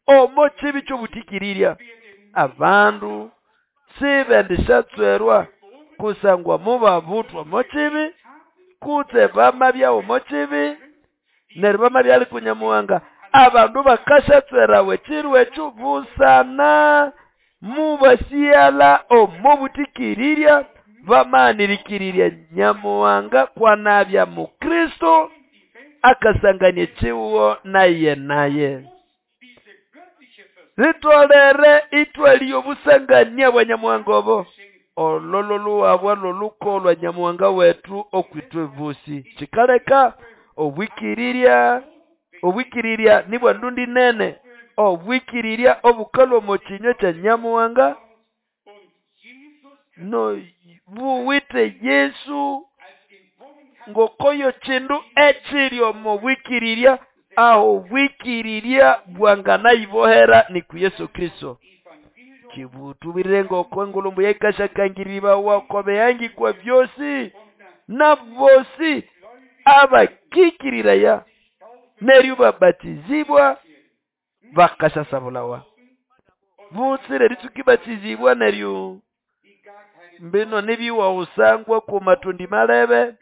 omo kibi kyobutikirirya abandu sibendisyatswerwa kusangwa mubabuthwa mokibi kutse bamabyawo mokibi neryo bamabya ali kunyamuhanga abandu bakasyatswerawa ekiro ekyo busana mubasighala omo butikirirya bamanirikirirya nyamuhanga kwanabya mukristo akasangania ekiwuwo naye naye ritolere itwali obusangania bwa nyamuhanga obo olololuwabwa loluko lwa nyamuhanga wetu okwitwe bosi kikaleka obwikirirya obwikirirya nibwa ndundi nene obwikirirya obukalwa omo kinywa kya nyamuhanga no buwite Yesu ngokoyo kindu ekiri omo bwikirirya aho bwikirirya bwanganayibohera ni ku Yesu Kristo kibutubirire ngoko engulumbu yaikashakangiribawa oko bihangikwa byosi na bosi abakikiriraya neryo babatizibwa bakashasabulawa butsire ritsukibatizibwa neryo mbino nibiwa usangwa ku matundi malebe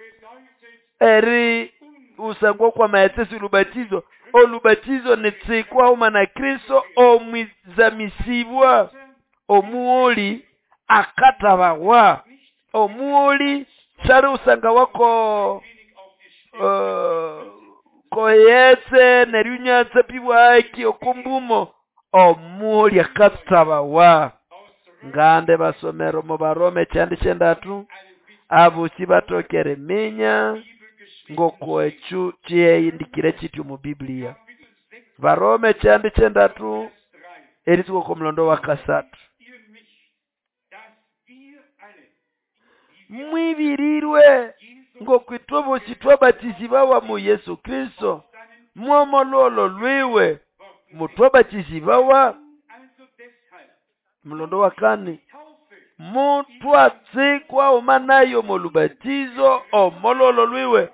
eri usangwa kwa maetsesi olubatizo olubatizo nitsikwa uma na Kristo omwizamisibwa omuoli akatabawa omuoli sali usanga wako koyetse neryunyatse pibwaki okumbumo omuoli akatabawa ngande basomero mu Barome kyandi kyendatu abosi batokere minya ngoko ekyo kyeyindikire kityo mu Biblia Barome kyandi kyendatu eritsuka ko mulondo wa kasatu mwibirirwe ngokwitwe bosi twabatizibwawa mu Yesu Kristo mwomololo lwiwe mutwabatizibwawa mulondo wa kane mutwatsikwa omanayo molubatizo omololo lwiwe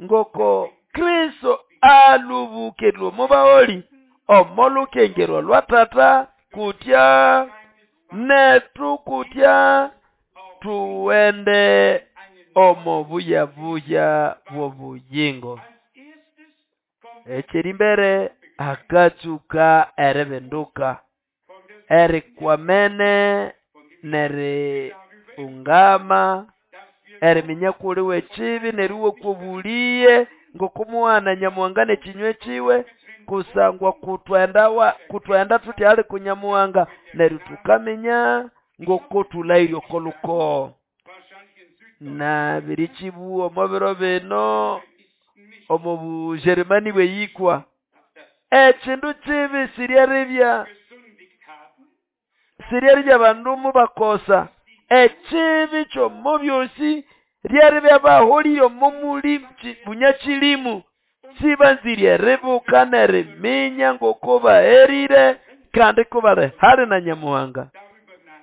ngoko Kristo alubukirwe mubaoli omolukengerwa lwa tata kutya netu kutya tuwende omo buyabuya bw'obuyingo ekiri mbere akatsuka eribenduka erikwamene neri ungama eriminya kuli wekibi neriwe kubuliye ngokumuwana nyamuhanga nekinywe kiwe kusangwa kutwendawa kutwenda tuti ali kunyamuhanga neryo tukaminya ngokotulairye okoluko na birikibu omo biro bino omo Bujerumani bweyikwa ekindu kibi siryaribya siryaribya bandu mubakosa ekibi kyomo byosi ryaribya baholire omo muli bunyakilimu sibanzirye ribuka neriminya ngoko baherire kandi ko bali hali na nyamuhanga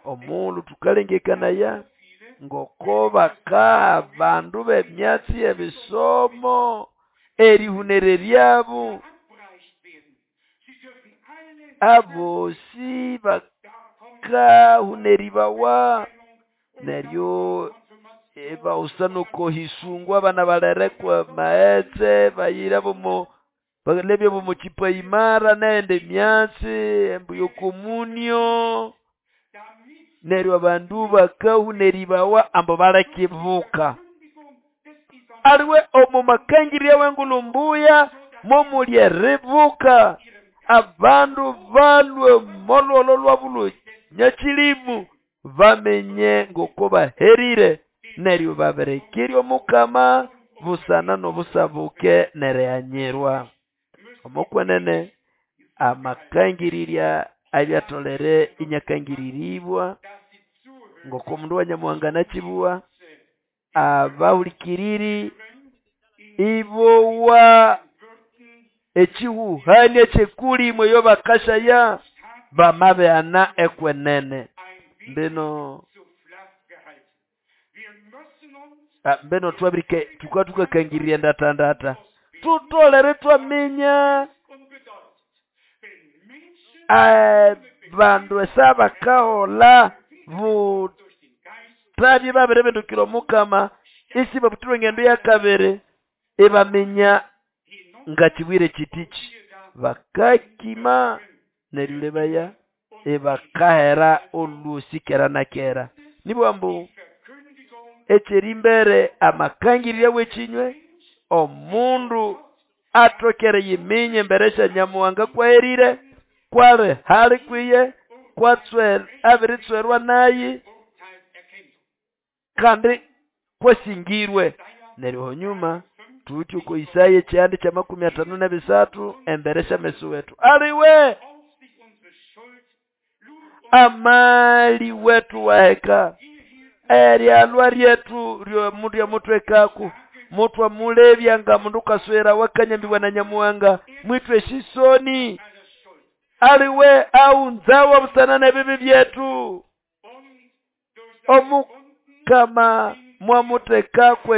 omulu tukalengekanaya Ngoko bakaha abandu b'emyatsi y'ebisomo erihunereryabo, abosi bakahunerĩbawa neryo ibawusa n'okohisungwa abana balere kwa maghetse bayira bomo balebya bomo kipaimara nendi myatsi ambu y'okomunio neryo abandu bakahunerĩbawa ambu baleke ibuka. Aliwe omo makangĩrĩrya w'engulhu mbuya momuli eribuka abandu balhwe omo lholo lwabo lw'enyakĩlĩmũ bamenye ngoko baherire neryo babirikirya Omukama busana n'obusabuke n'erighanyirwa. Omo kwenene amakangĩrĩrya abyatholere iniakangĩrĩrĩbwa ngoko omundu wa Nyamuhanga anakĩbugha, abahũlĩkĩrĩrĩ ibowa ekihuhanio eky'ekulĩmũ eyo bakasyaya bamabighana ekwenene. Mbino mbino thwabirike thuka thukakangĩrĩrya endatandata. Thutholere ithwaminya abandu esyabakaholha buthabye ibabiribindukira Omukama isibabutirwe engendo y'akabiri ibaminya ngakibwire kitiki. Bakakima neryo wulebaya ibakahera olwosi kera na kera. Nibugha ambu eky'erimbere amakangĩrĩrya w'ekinywe omundu athoke eriyiminya embere sya Nyamuhanga kw'aherire, kw'ali hali kwiye, kw'atswe abiritswerwa nayi, kandi kwasingirwe. Neryo hanyuma thuwithe oko Isaya ekyihanda ky'amakumi athanu n'ebisathu embere sy'ameso wethu. Aliwe amali wethu waheka eryalwa lyethu lyamuthwekaku muthwamulebya nga mundu kaswerawa akanyambibwa na Nyamuhanga mwithwa esisoni. Aliwe aghunzawa busana n'ebibi byethu. Omukama mwamuthekako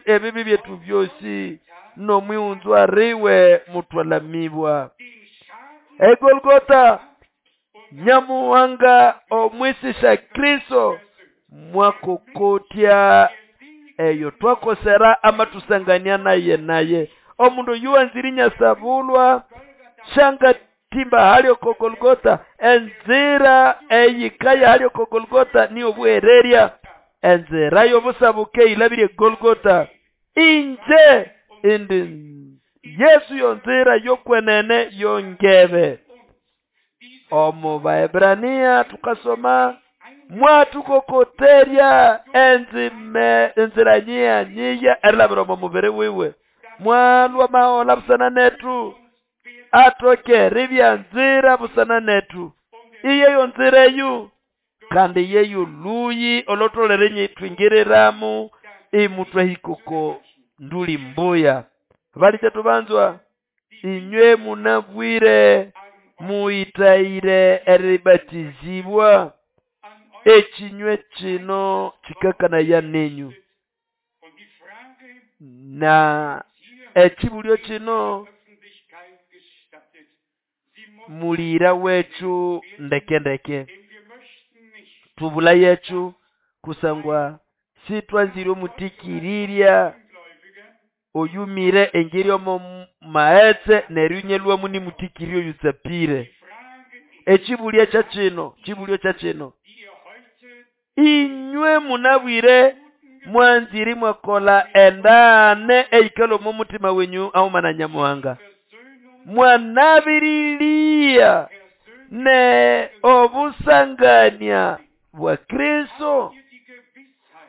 ebibi byethu byosi n'omwighunzwa riwe muthwalamibwa. EGolgotha Nyamuhanga omwisisya Kristo mwakokotya eyo twakosera amathusangania naye naye. Omundu oyu wanzire inyasabulwa syangatimba hali oko Golgotha. Enzira eyikaya hali oko Golgotha niyo obuhererya. Enzira y'obusabuke eyilabire eGolgotha. Inje indi Yesu yonzira y'okwenene yongebe. Omu Baebrania tukasoma mwathukokoterya enzira nyiya nyiya erilabira omo mubiri wiwe. Mwalwa mahola busana nethu athoke eribya nzira busana nethu. Iyeyo nzira eyu kandi yeyo luyi olutholere ithwingiriramu imuthwahika oko nduli mbuya. Balikyetu banzwa inywe munabwire muyithayire eribatizibwa. Ekinywe kino kikakanaya nenyu. Na ekibulyo kino mulira wethu ndeke ndeke. Thubula yethu kusangwa sithwanzire omutikiririrya oyumire engeri omo maghetse neryo inyalhwamu nimutikiriri oyutsapire. Ekibulyo kyakino, kibulyo kyakino. Inywe munabwire mwanzire imwakolha endaghane eyikalhwa omo muthima wenyu aghuma na Nyamuhanga. Mwanabiririya ne obusangania bwa Kristo.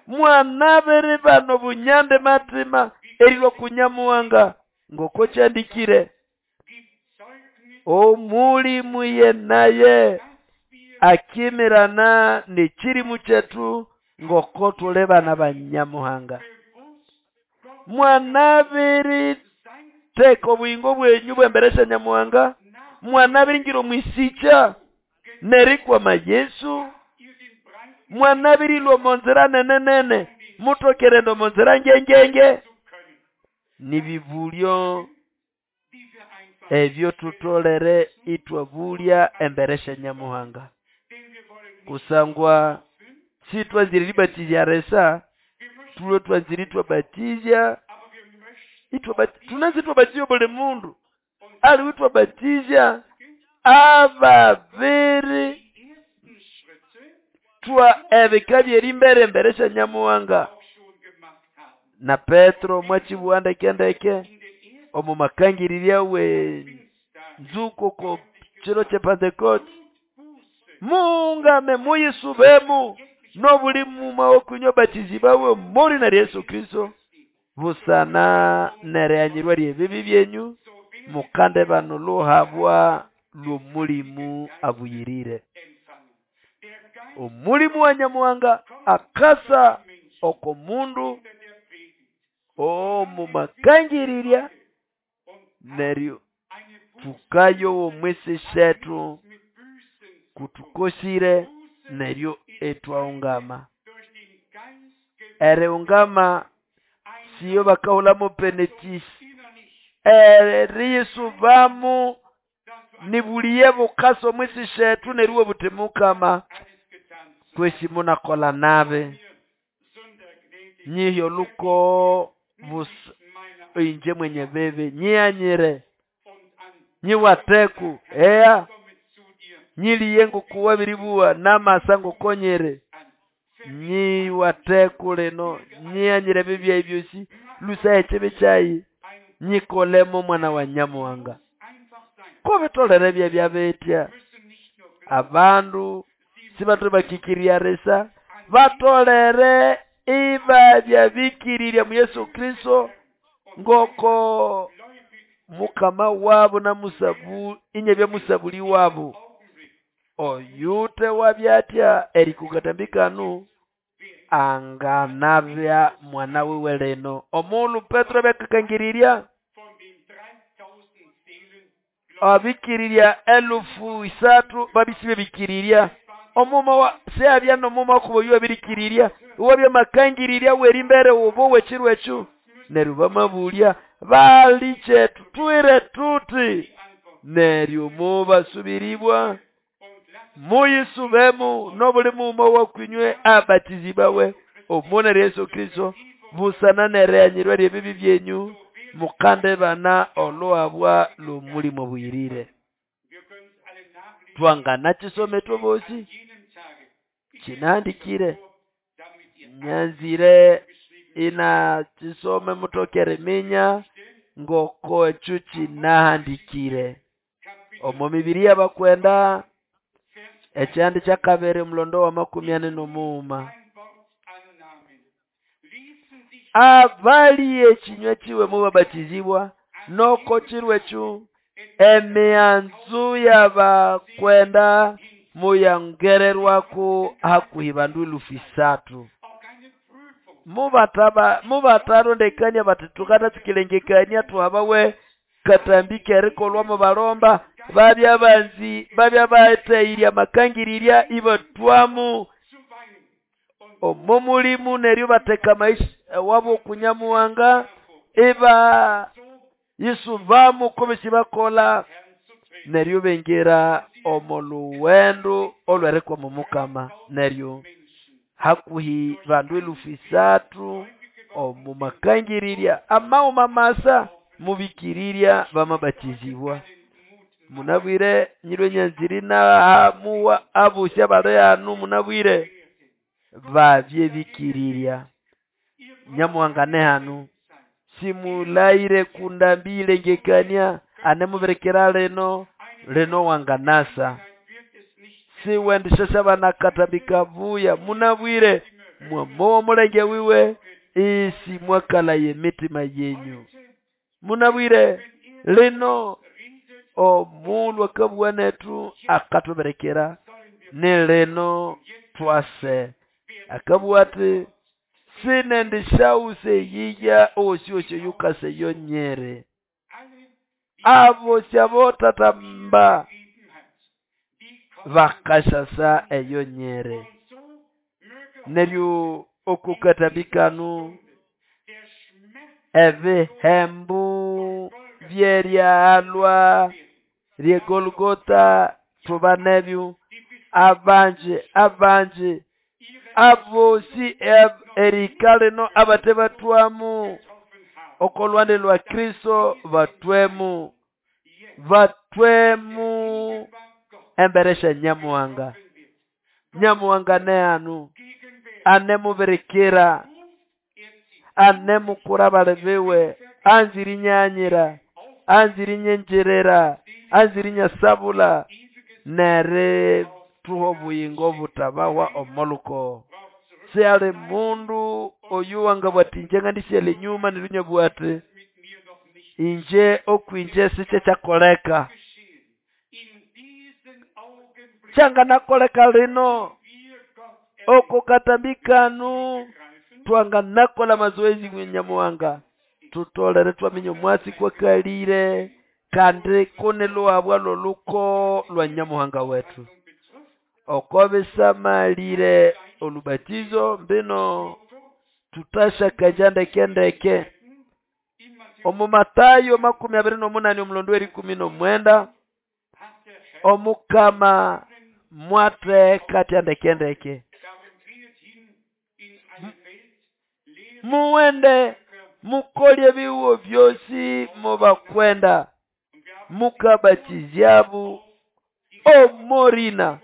Mwanabiribana obunyande mathima erilhwa ku Nyamuhanga ngoko kyandikire. Omulimu ye naye akimirana n'ekirimu kyethu ngoko thuli bana ba Nyamuhanga. Mwanabiritheka obuyingo bwenyu bw'embere sya Nyamuhanga, mwanabiringira omwisikya n'erikwama Yesu. Mwanabirilwa omo nzira nene-nene, mutokerenda omo nzira ngengenge. Nibibulyo ebyo tutolere itwabulya embere sya Nyamuhanga. Kusangwa sitwanzire eribatizya risa, tulwe twanzire itwabatizya, tunanzire itwabatizya obuli mundu, aliwe itwabatizya ababiri twa ebika by'erimbere embere sya Nyamuhanga. Na Petro mwachibuwa ndeke ndeke omu makangirirya we nzuko ko chiro che Pentecost, muungame muyisubemu nobuli muma okunywa batizibawe muri na Yesu Kristo busana nereanyirwa ryebibi byenyu mukande bano luhabwa lw'omulimu abuyirire. Omulimu wa Nyamuhanga akasa oko mundu omumakangirirya neryo tukayo omwisi shetu kutukosire neryo etwaungama. Eriungama siyo bakahulamo penetisi, eriyisubamu nibuliye bukasa omwisi shetu neryo butimukama kwesi munakola nabi nyihi oluko busa inje mwenye bibi nyianyire nyiwateku ea nyiliye ngokuwa biribuwa namasa ngokonyere nyiwateku lino nyianyire bibi ebyosi lusa ekibi kyayi nyikolemo mwana wa Nyamuhanga. Kubitolere bye byabetya abandu sibatole bakikirirya risa batolere iba byabikirirya mu Yesu Kristo ngoko mukama wabo na musabu inye bya musabuli wabo. Oyute wabyatya erikukatambikanu anganabya mwana wiwe lino. Omulu Petro byakakangirirya abikirirya 3,000 babisibe bikirirya omuma wa seabya nomuma kubo yabirikirirya wabya makangirirya werimbere ubo wechirwechu neryo bamabulya baliche tutwire tuti neryo mubasubiribwa muyisubemu nobuli muma wakwinywe abatizibawe omuna Yesu Kristo busana nereanyirwa ryebibi byenyu mukande bana oluhabwa lw'omulimo buyirire. Twangana chisome twobosi chinandikire nyanzire ina chisome mutokere minya ngoko echo chinahandikire omo mibiri y'abakwenda ekyandi kya kabiri omulondo wa 45. Abali ekinywa kiwe mubabatizibwa noko chirwechu emianzu y'abakwenda muyangererwako hakuhi bandu 3,000. Mubatarondekania bati tukatatsikilengekania tuhabawe katambike erikolwa mubalomba babya banzi babya bateirya makangirirya ibatwamu omo mulimu neryo bateka maisha wabo kunyamuhanga iba yisubamu kubisi bakola neryo bengera omo luwendo olwerekwa mu mukama neryo hakuhi bandu 3,000 omu makangirirya amauma masa mubikirirya bamabatizibwa. Munabwire nyirwe nyanziri na muwa abusya bale anu munabwire babye bikirirya Nyamuhanga ne hanu simulaire kundambile ngekania anemuberekera leno leno wanganasa siwendishesha banakatambika buya munabwire mwamowa mulenge wiwe isi mwakala ye mitima yenyu. Munabwire lino omulwa kabwa netu akatuberekera ne leno twase akabwa ati sinendishause yiya osi yukase yonyere abo syabotatamba bakashasa eyonyere. Neryo oko katambi kano ebihembo by'eryalwa ly'eGolgotha tubanebyo abanji abanji abosi erihika lino abate bathwamo oko lwande lwa Kristo bathwemo, bathwemo embere sya Nyamuhanga. Nyamuhanga nehanu anemubirikira, anemukura abali biwe, anzire inyaghanyira, anzire inyingirira, anzire inyasabula nerithuha obuyingo obutabahwa omo lukogo. Sihali mundu oyo wangabugha ati ingye ngandisighalha enyuma neryo inabugha ati ingye okwingye sikyekyakoleka. Kyanganakoleka lino oko katambi kano twanganakolha amazoezi Nyamuhanga thutolere ithwaminya omwatsi kwakalire kandi kuniluhabwa lw'olukogo lwa Nyamuhanga wethu. Oko bisamalire olubatizo mbino thuthasakanja ndeke ndeke. Omu Mathayo 28 omulondo w'erikumi n'omwenda Omukama mwatheka athya ndeke ndeke. Muwende mukolye ebihugo byosi mubakwenda mukabatizyabo omorina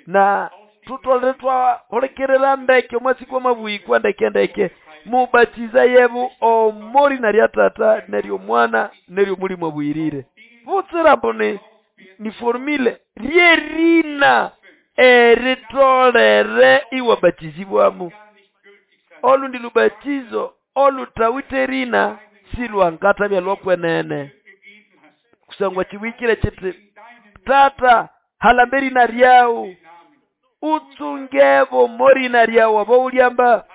na thutolere thwahulikirira ndeke omwatsi kwamabuhikwa ndeke ndeke mubatizayebu omorina lya Tata n'ery'Omwana n'ery'Omulimu Abuhirire. Butsira ambu ni formule ryerina eritolere iwabatizibwamu. Olundi lubatizo oluthawithe erina silwangathabya lwokwenene kusangwa kibwikire kiti Tata halamba erina ryawu utsungebo morina ryawu abawulyamba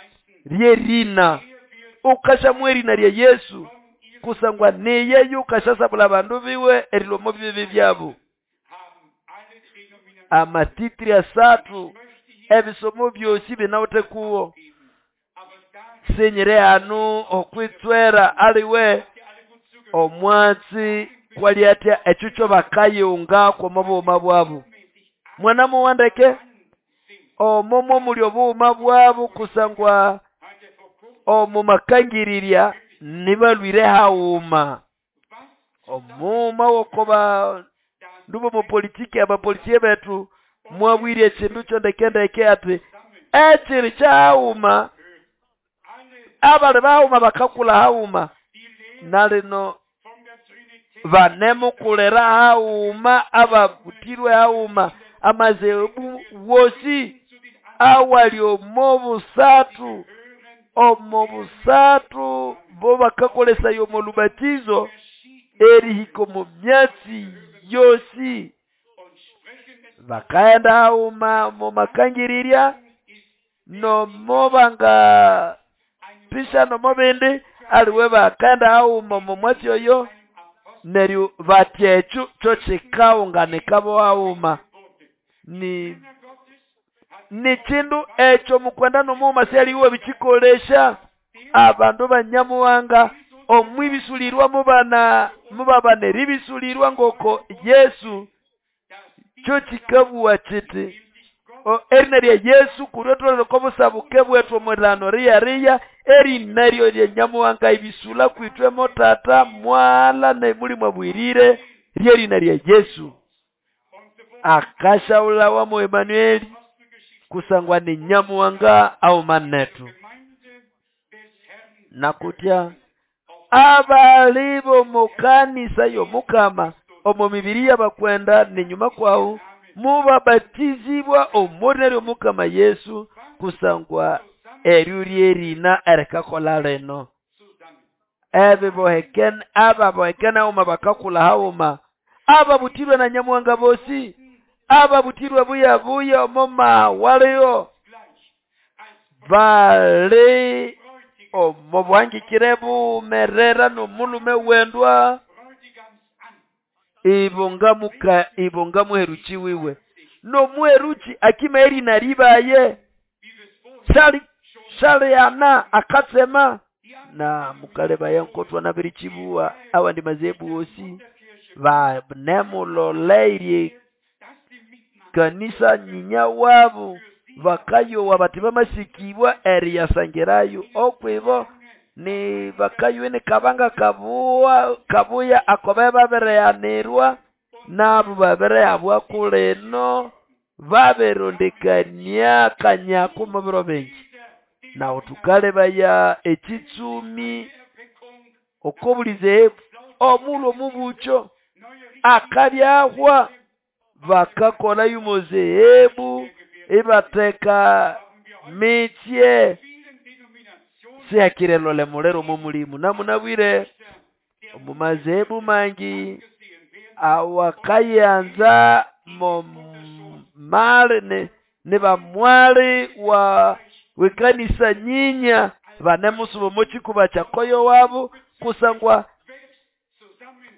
ryerina ukashamwa erina lya Yesu kusangwa niye yukashasabula abandu biwe erilwa omo bibi byabo. Amatitiri asathu ebisomo byosi binawithe kuwo. Sinyiri hanu okwitswera aliwe omwatsi kwali atya ekyo kyo bakayunga kwomo bughuma bwabo. Mwana mowa ndeke omo mwomuli obughuma bwabo kusangwa omo makangirirya nibalwire haghuma. Omughuma wokoba ndubo mopolitiki abapolisie bethu mwabwire ekindu kyo ndeke ndeke ati ekiri kyaghuma abali baghuma bakakula haghuma nalino banemukulira haghuma ababutirwe haghuma amazebu wosi awali omo busathu omo busathu bo bakakolesaya omo lubatizo erihika omo myatsi yosi bakaghenda haghuma omo makangirirya nomo banga pisha nomo bindi aliwe bakaghenda haghuma omo mwatsi oyo neryo batya ekyo kyo kikaghunganika bo haghuma. Ni kindu ekyo mukwenda n'omughuma syaliwe bikikolesya abandu ba Nyamuhanga omwibisulirwa mubana mubabana eribisulirwa ngoko Yesu kyo kikabugha kiti erina lya Yesu kuryotolere oko busabuke bwethu omwilano riyariya erina ryo lya Nyamuhanga ibisula kwithwe mo Tata Mwala n'Omulimu Abuhirire ryerina lya Yesu. Akashaulawa mu Emanueli kusangwa ni Nyamuhanga auma nethu. Nakutya abali bomukanisa y'Omukama omo mibiri y'abakwenda nenyuma kwawu mubabatizibwa omorina ly'Omukama Yesu kusangwa eryo ryerina erikakola lino. Ebibohekene ababohekene haghuma bakakula haghuma ababutirwe na Nyamuhanga bosi ababutirwe buya buya omo mawaliyo bali omo bwangikire bumerera n'omulume wendwa ibonga muheruchi wiwe n'omuheruchi akima erina ribaye. Shalihana akatsema na mukalebaya nkotwa nabirichibuwa awandi mazebu wosi banemuloleirye kanisa nyinya wabo bakayowa bati bamasikibwa eriyasangirayo okwibo ni bakayowe ni kabanga kabuya akobe babireanirwa nabo babireabwa kulino babirondekania kanyako mubiro bingi. Nawo tukalebaya ekitsumi okobulize omulo mubucho akabyahwa bakakola yumozehebu ibateka mitsye sihakirelole mulero momulimu namunabwire omumazehebu mangi awakayanza momali ni bamwali wa wekanisa nyinya banemusuba mochikuba kyakoyo wabo kusangwa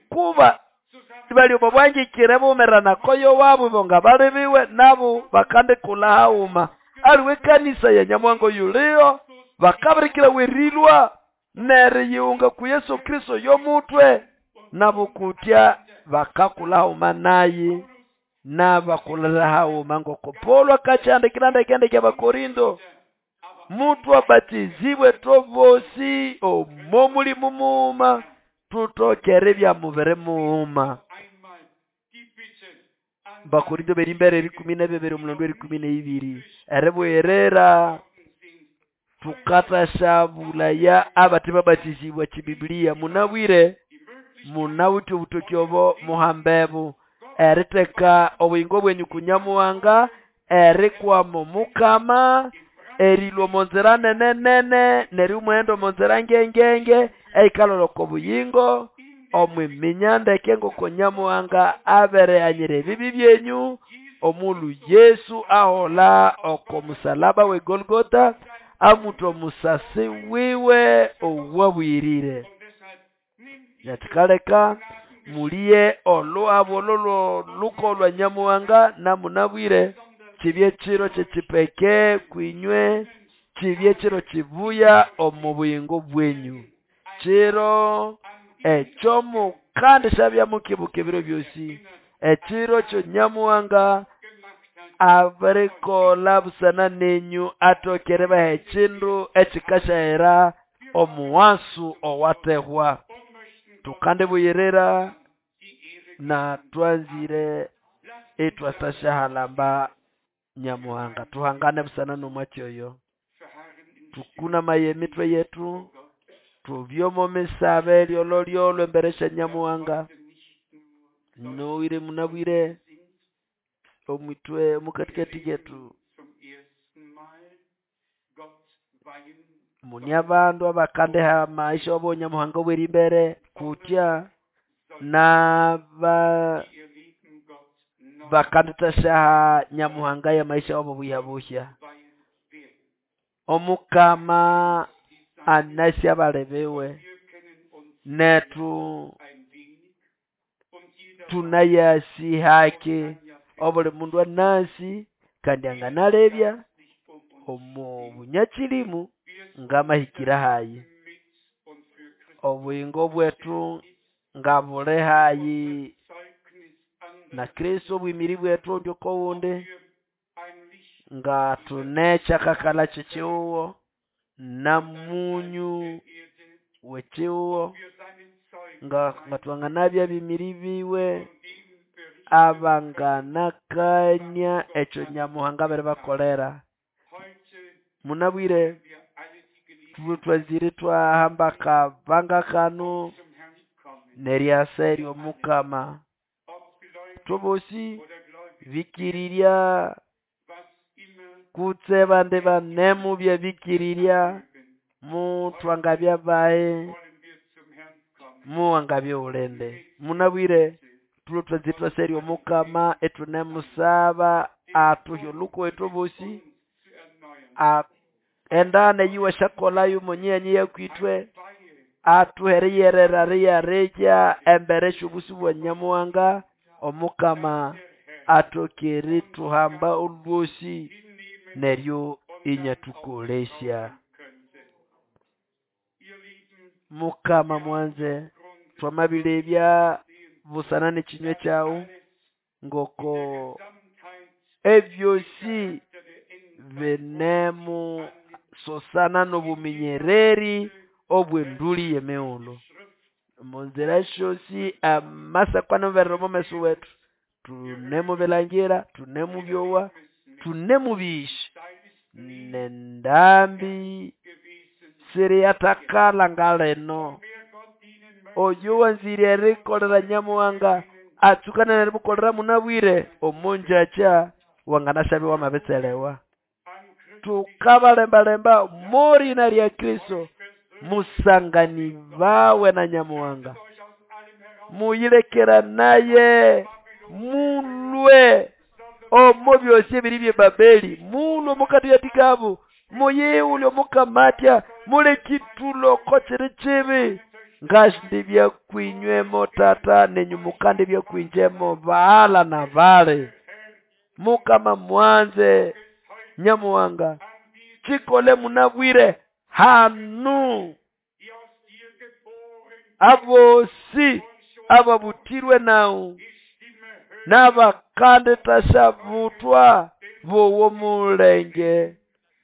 kuba bali obwangikire bumerana koyo wabo bonga balibiwe nabo bakandikula hauma aliwe kanisa ya Nyamwango yulio bakabirikira werilwa neriyunga ku Yesu Kristo yomutwe nabo kutya bakakula hauma nayi nabakulira hauma ngoko Paulo akachandikira ndekende kya Bakorindo mutu abatizibwe tobosi omomuli mumuma tutokere bya mubere muuma. Bakorindo berimbere 12 omulondo 12 erebwerera tukatashabulaya abati babatizibwa chibiblia munabwire munawuti obutokyobo muhambebu eriteka obuyingo bwenyu kunyamuwanga erikwamo mukama erilwa monzera nene nene neri umuhendo monzera ngengenge eikaloloko buyingo omwiminyandeke ngoko Nyamuhanga abereanyire ebibi byenyu omulu Yesu ahola oko musalaba we Golgotha amuto musasi wiwe owabwirire. Yatikaleka muliye olwabo lolo lukolwa Nyamuhanga namunabwire kibye chiro kyekipeke kwinywe kibye chiro kibuya omu buyingo bwenyu chiro ekyomu kandi shabya mukibuka ebiro byosi ekiro kyo Nyamuhanga abirikola busana nenyu atokere baha ekindu ekikashahera omuwasu owatehwa tukandibuyirira na twanzire etwasashahalamba Nyamuhanga tuhangane busana nomwakyoyo tukuna maye emitwe yetu tubyomo misabe lyololyolo emberesha Nyamuhanga nowire munabwire omwitwe mukatikati yetu muni abandu abakandeha maisha wabo Nyamuhanga obwerimbere kutya naba bakanditashaha Nyamuhanga ya maisha wabo buya omukama anasi abalebewe netu tunayasi haki obuli mundu anasi kandi anganalebya omu bunyakirimu ngamahikira hayi obuyingo bwetu ngabule hayi na Kristo obwimiri bwetu ndyoko wunde nga tunecha kakala chichiuwo na munyu wechiuwo nga ngatwanganabya bimiri biwe abanganakanya ekyo Nyamuhanga bere bakolera munabwire twazire twahamba kabanga kano neryasa eryomukama tubosi bikirirya kutse bande banemu bya bikirirya mutwangabya bae muwangabya ulende munabwire tulo twazitwa serio mukama etunemusaba atuhyo luko etubosi endane yiwa shakola yumonyenyi yakwitwe atuhereyerera riyareja embere shubusi bwa Nyamuhanga omukama atokere tuhamba olwosi neryo Inyatũkolesya. Mukama mwanze, twamabilebya busana n'ekinywa kyawu ngoko ebyosi binemu sosana n'obuminyererĩ obw'endũlĩ y'emighulhu. Omo nzira syosi amasako anemuberera omo meso wetu, thunemubilangira, thunemubyowa, thunemubĩsya. N'endambi siriyathakala ngalino. Oyo wanzire erikolera Nyamuhanga atsukane n'erimukolera munabwire omo ngyakya wanganasyabya iwamabitselewa. Thukabalembalemba omo lina lya Kristo, musanganibawe na Nyamuhanga, muyilekeranaye, mulwe omo byosi ebiri by'eBabeli, mulwe omo kathikathi kabo, muyighule Omukama atya, muleke ithulha oko kiri kibi. Ngasindibya kwinywe mo tata nenyu mukandibya kwinje mo baghala na bali. Mukama mwanze Nyamuhanga, kikole munabwire hanu abosi ababutirwe nawu n'abakanditasyabuthwa bowa omulenge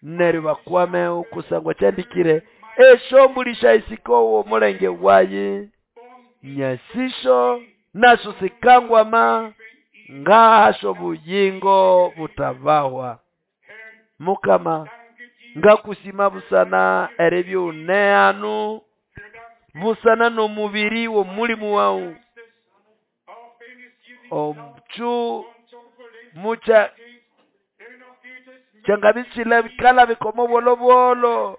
neryo bakwamewo kusangwa kyandikire esyombulĩ syayisikawa omulenge wayi, nyasisyo nasyo sikangwama ngahasyo obuyingo butabahwa. Mukama ngakusima busana eribya ighune hanu busana n'omubiri w'omulimu wawu omukyu mukya kyangabya isilabika omo bwolobwolo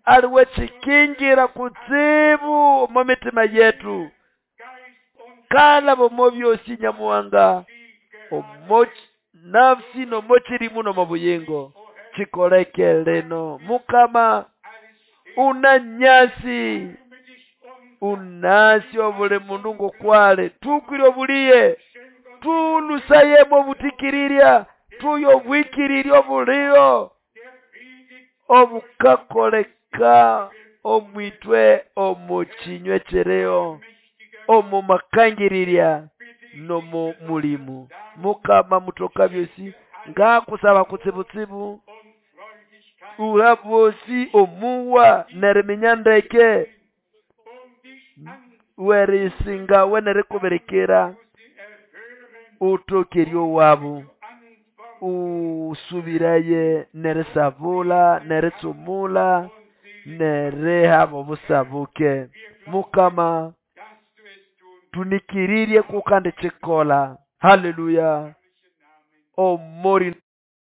aliwe kikingira kutsibu omo mitima yetu. Kalaba omo byosi Nyamuhanga, omo nafsi n'omo kirimu n'omo buyingo. Kikoleke lino Mukama, unanyasi unasi obuli mundu ng'okwali, tukwire obuliye, tulusayemo obutikiriirya, tuye obwikirirya obuliho obukakoleka omwitwe omo kinywa ekiriho, omo makangirirya n'omo mulimu. Mukama mutoka byosi, ngakusaba kutsibutsibu uha abosi omuwa n'eriminya ndeke werisingawe n'erikubirikira, utoke eryowabu, usubiraye n'erisabula, n'eritsumula, n'erihaba obusabuke. Mukama tunikirirye kukandikikolha. Haleluya. Omori.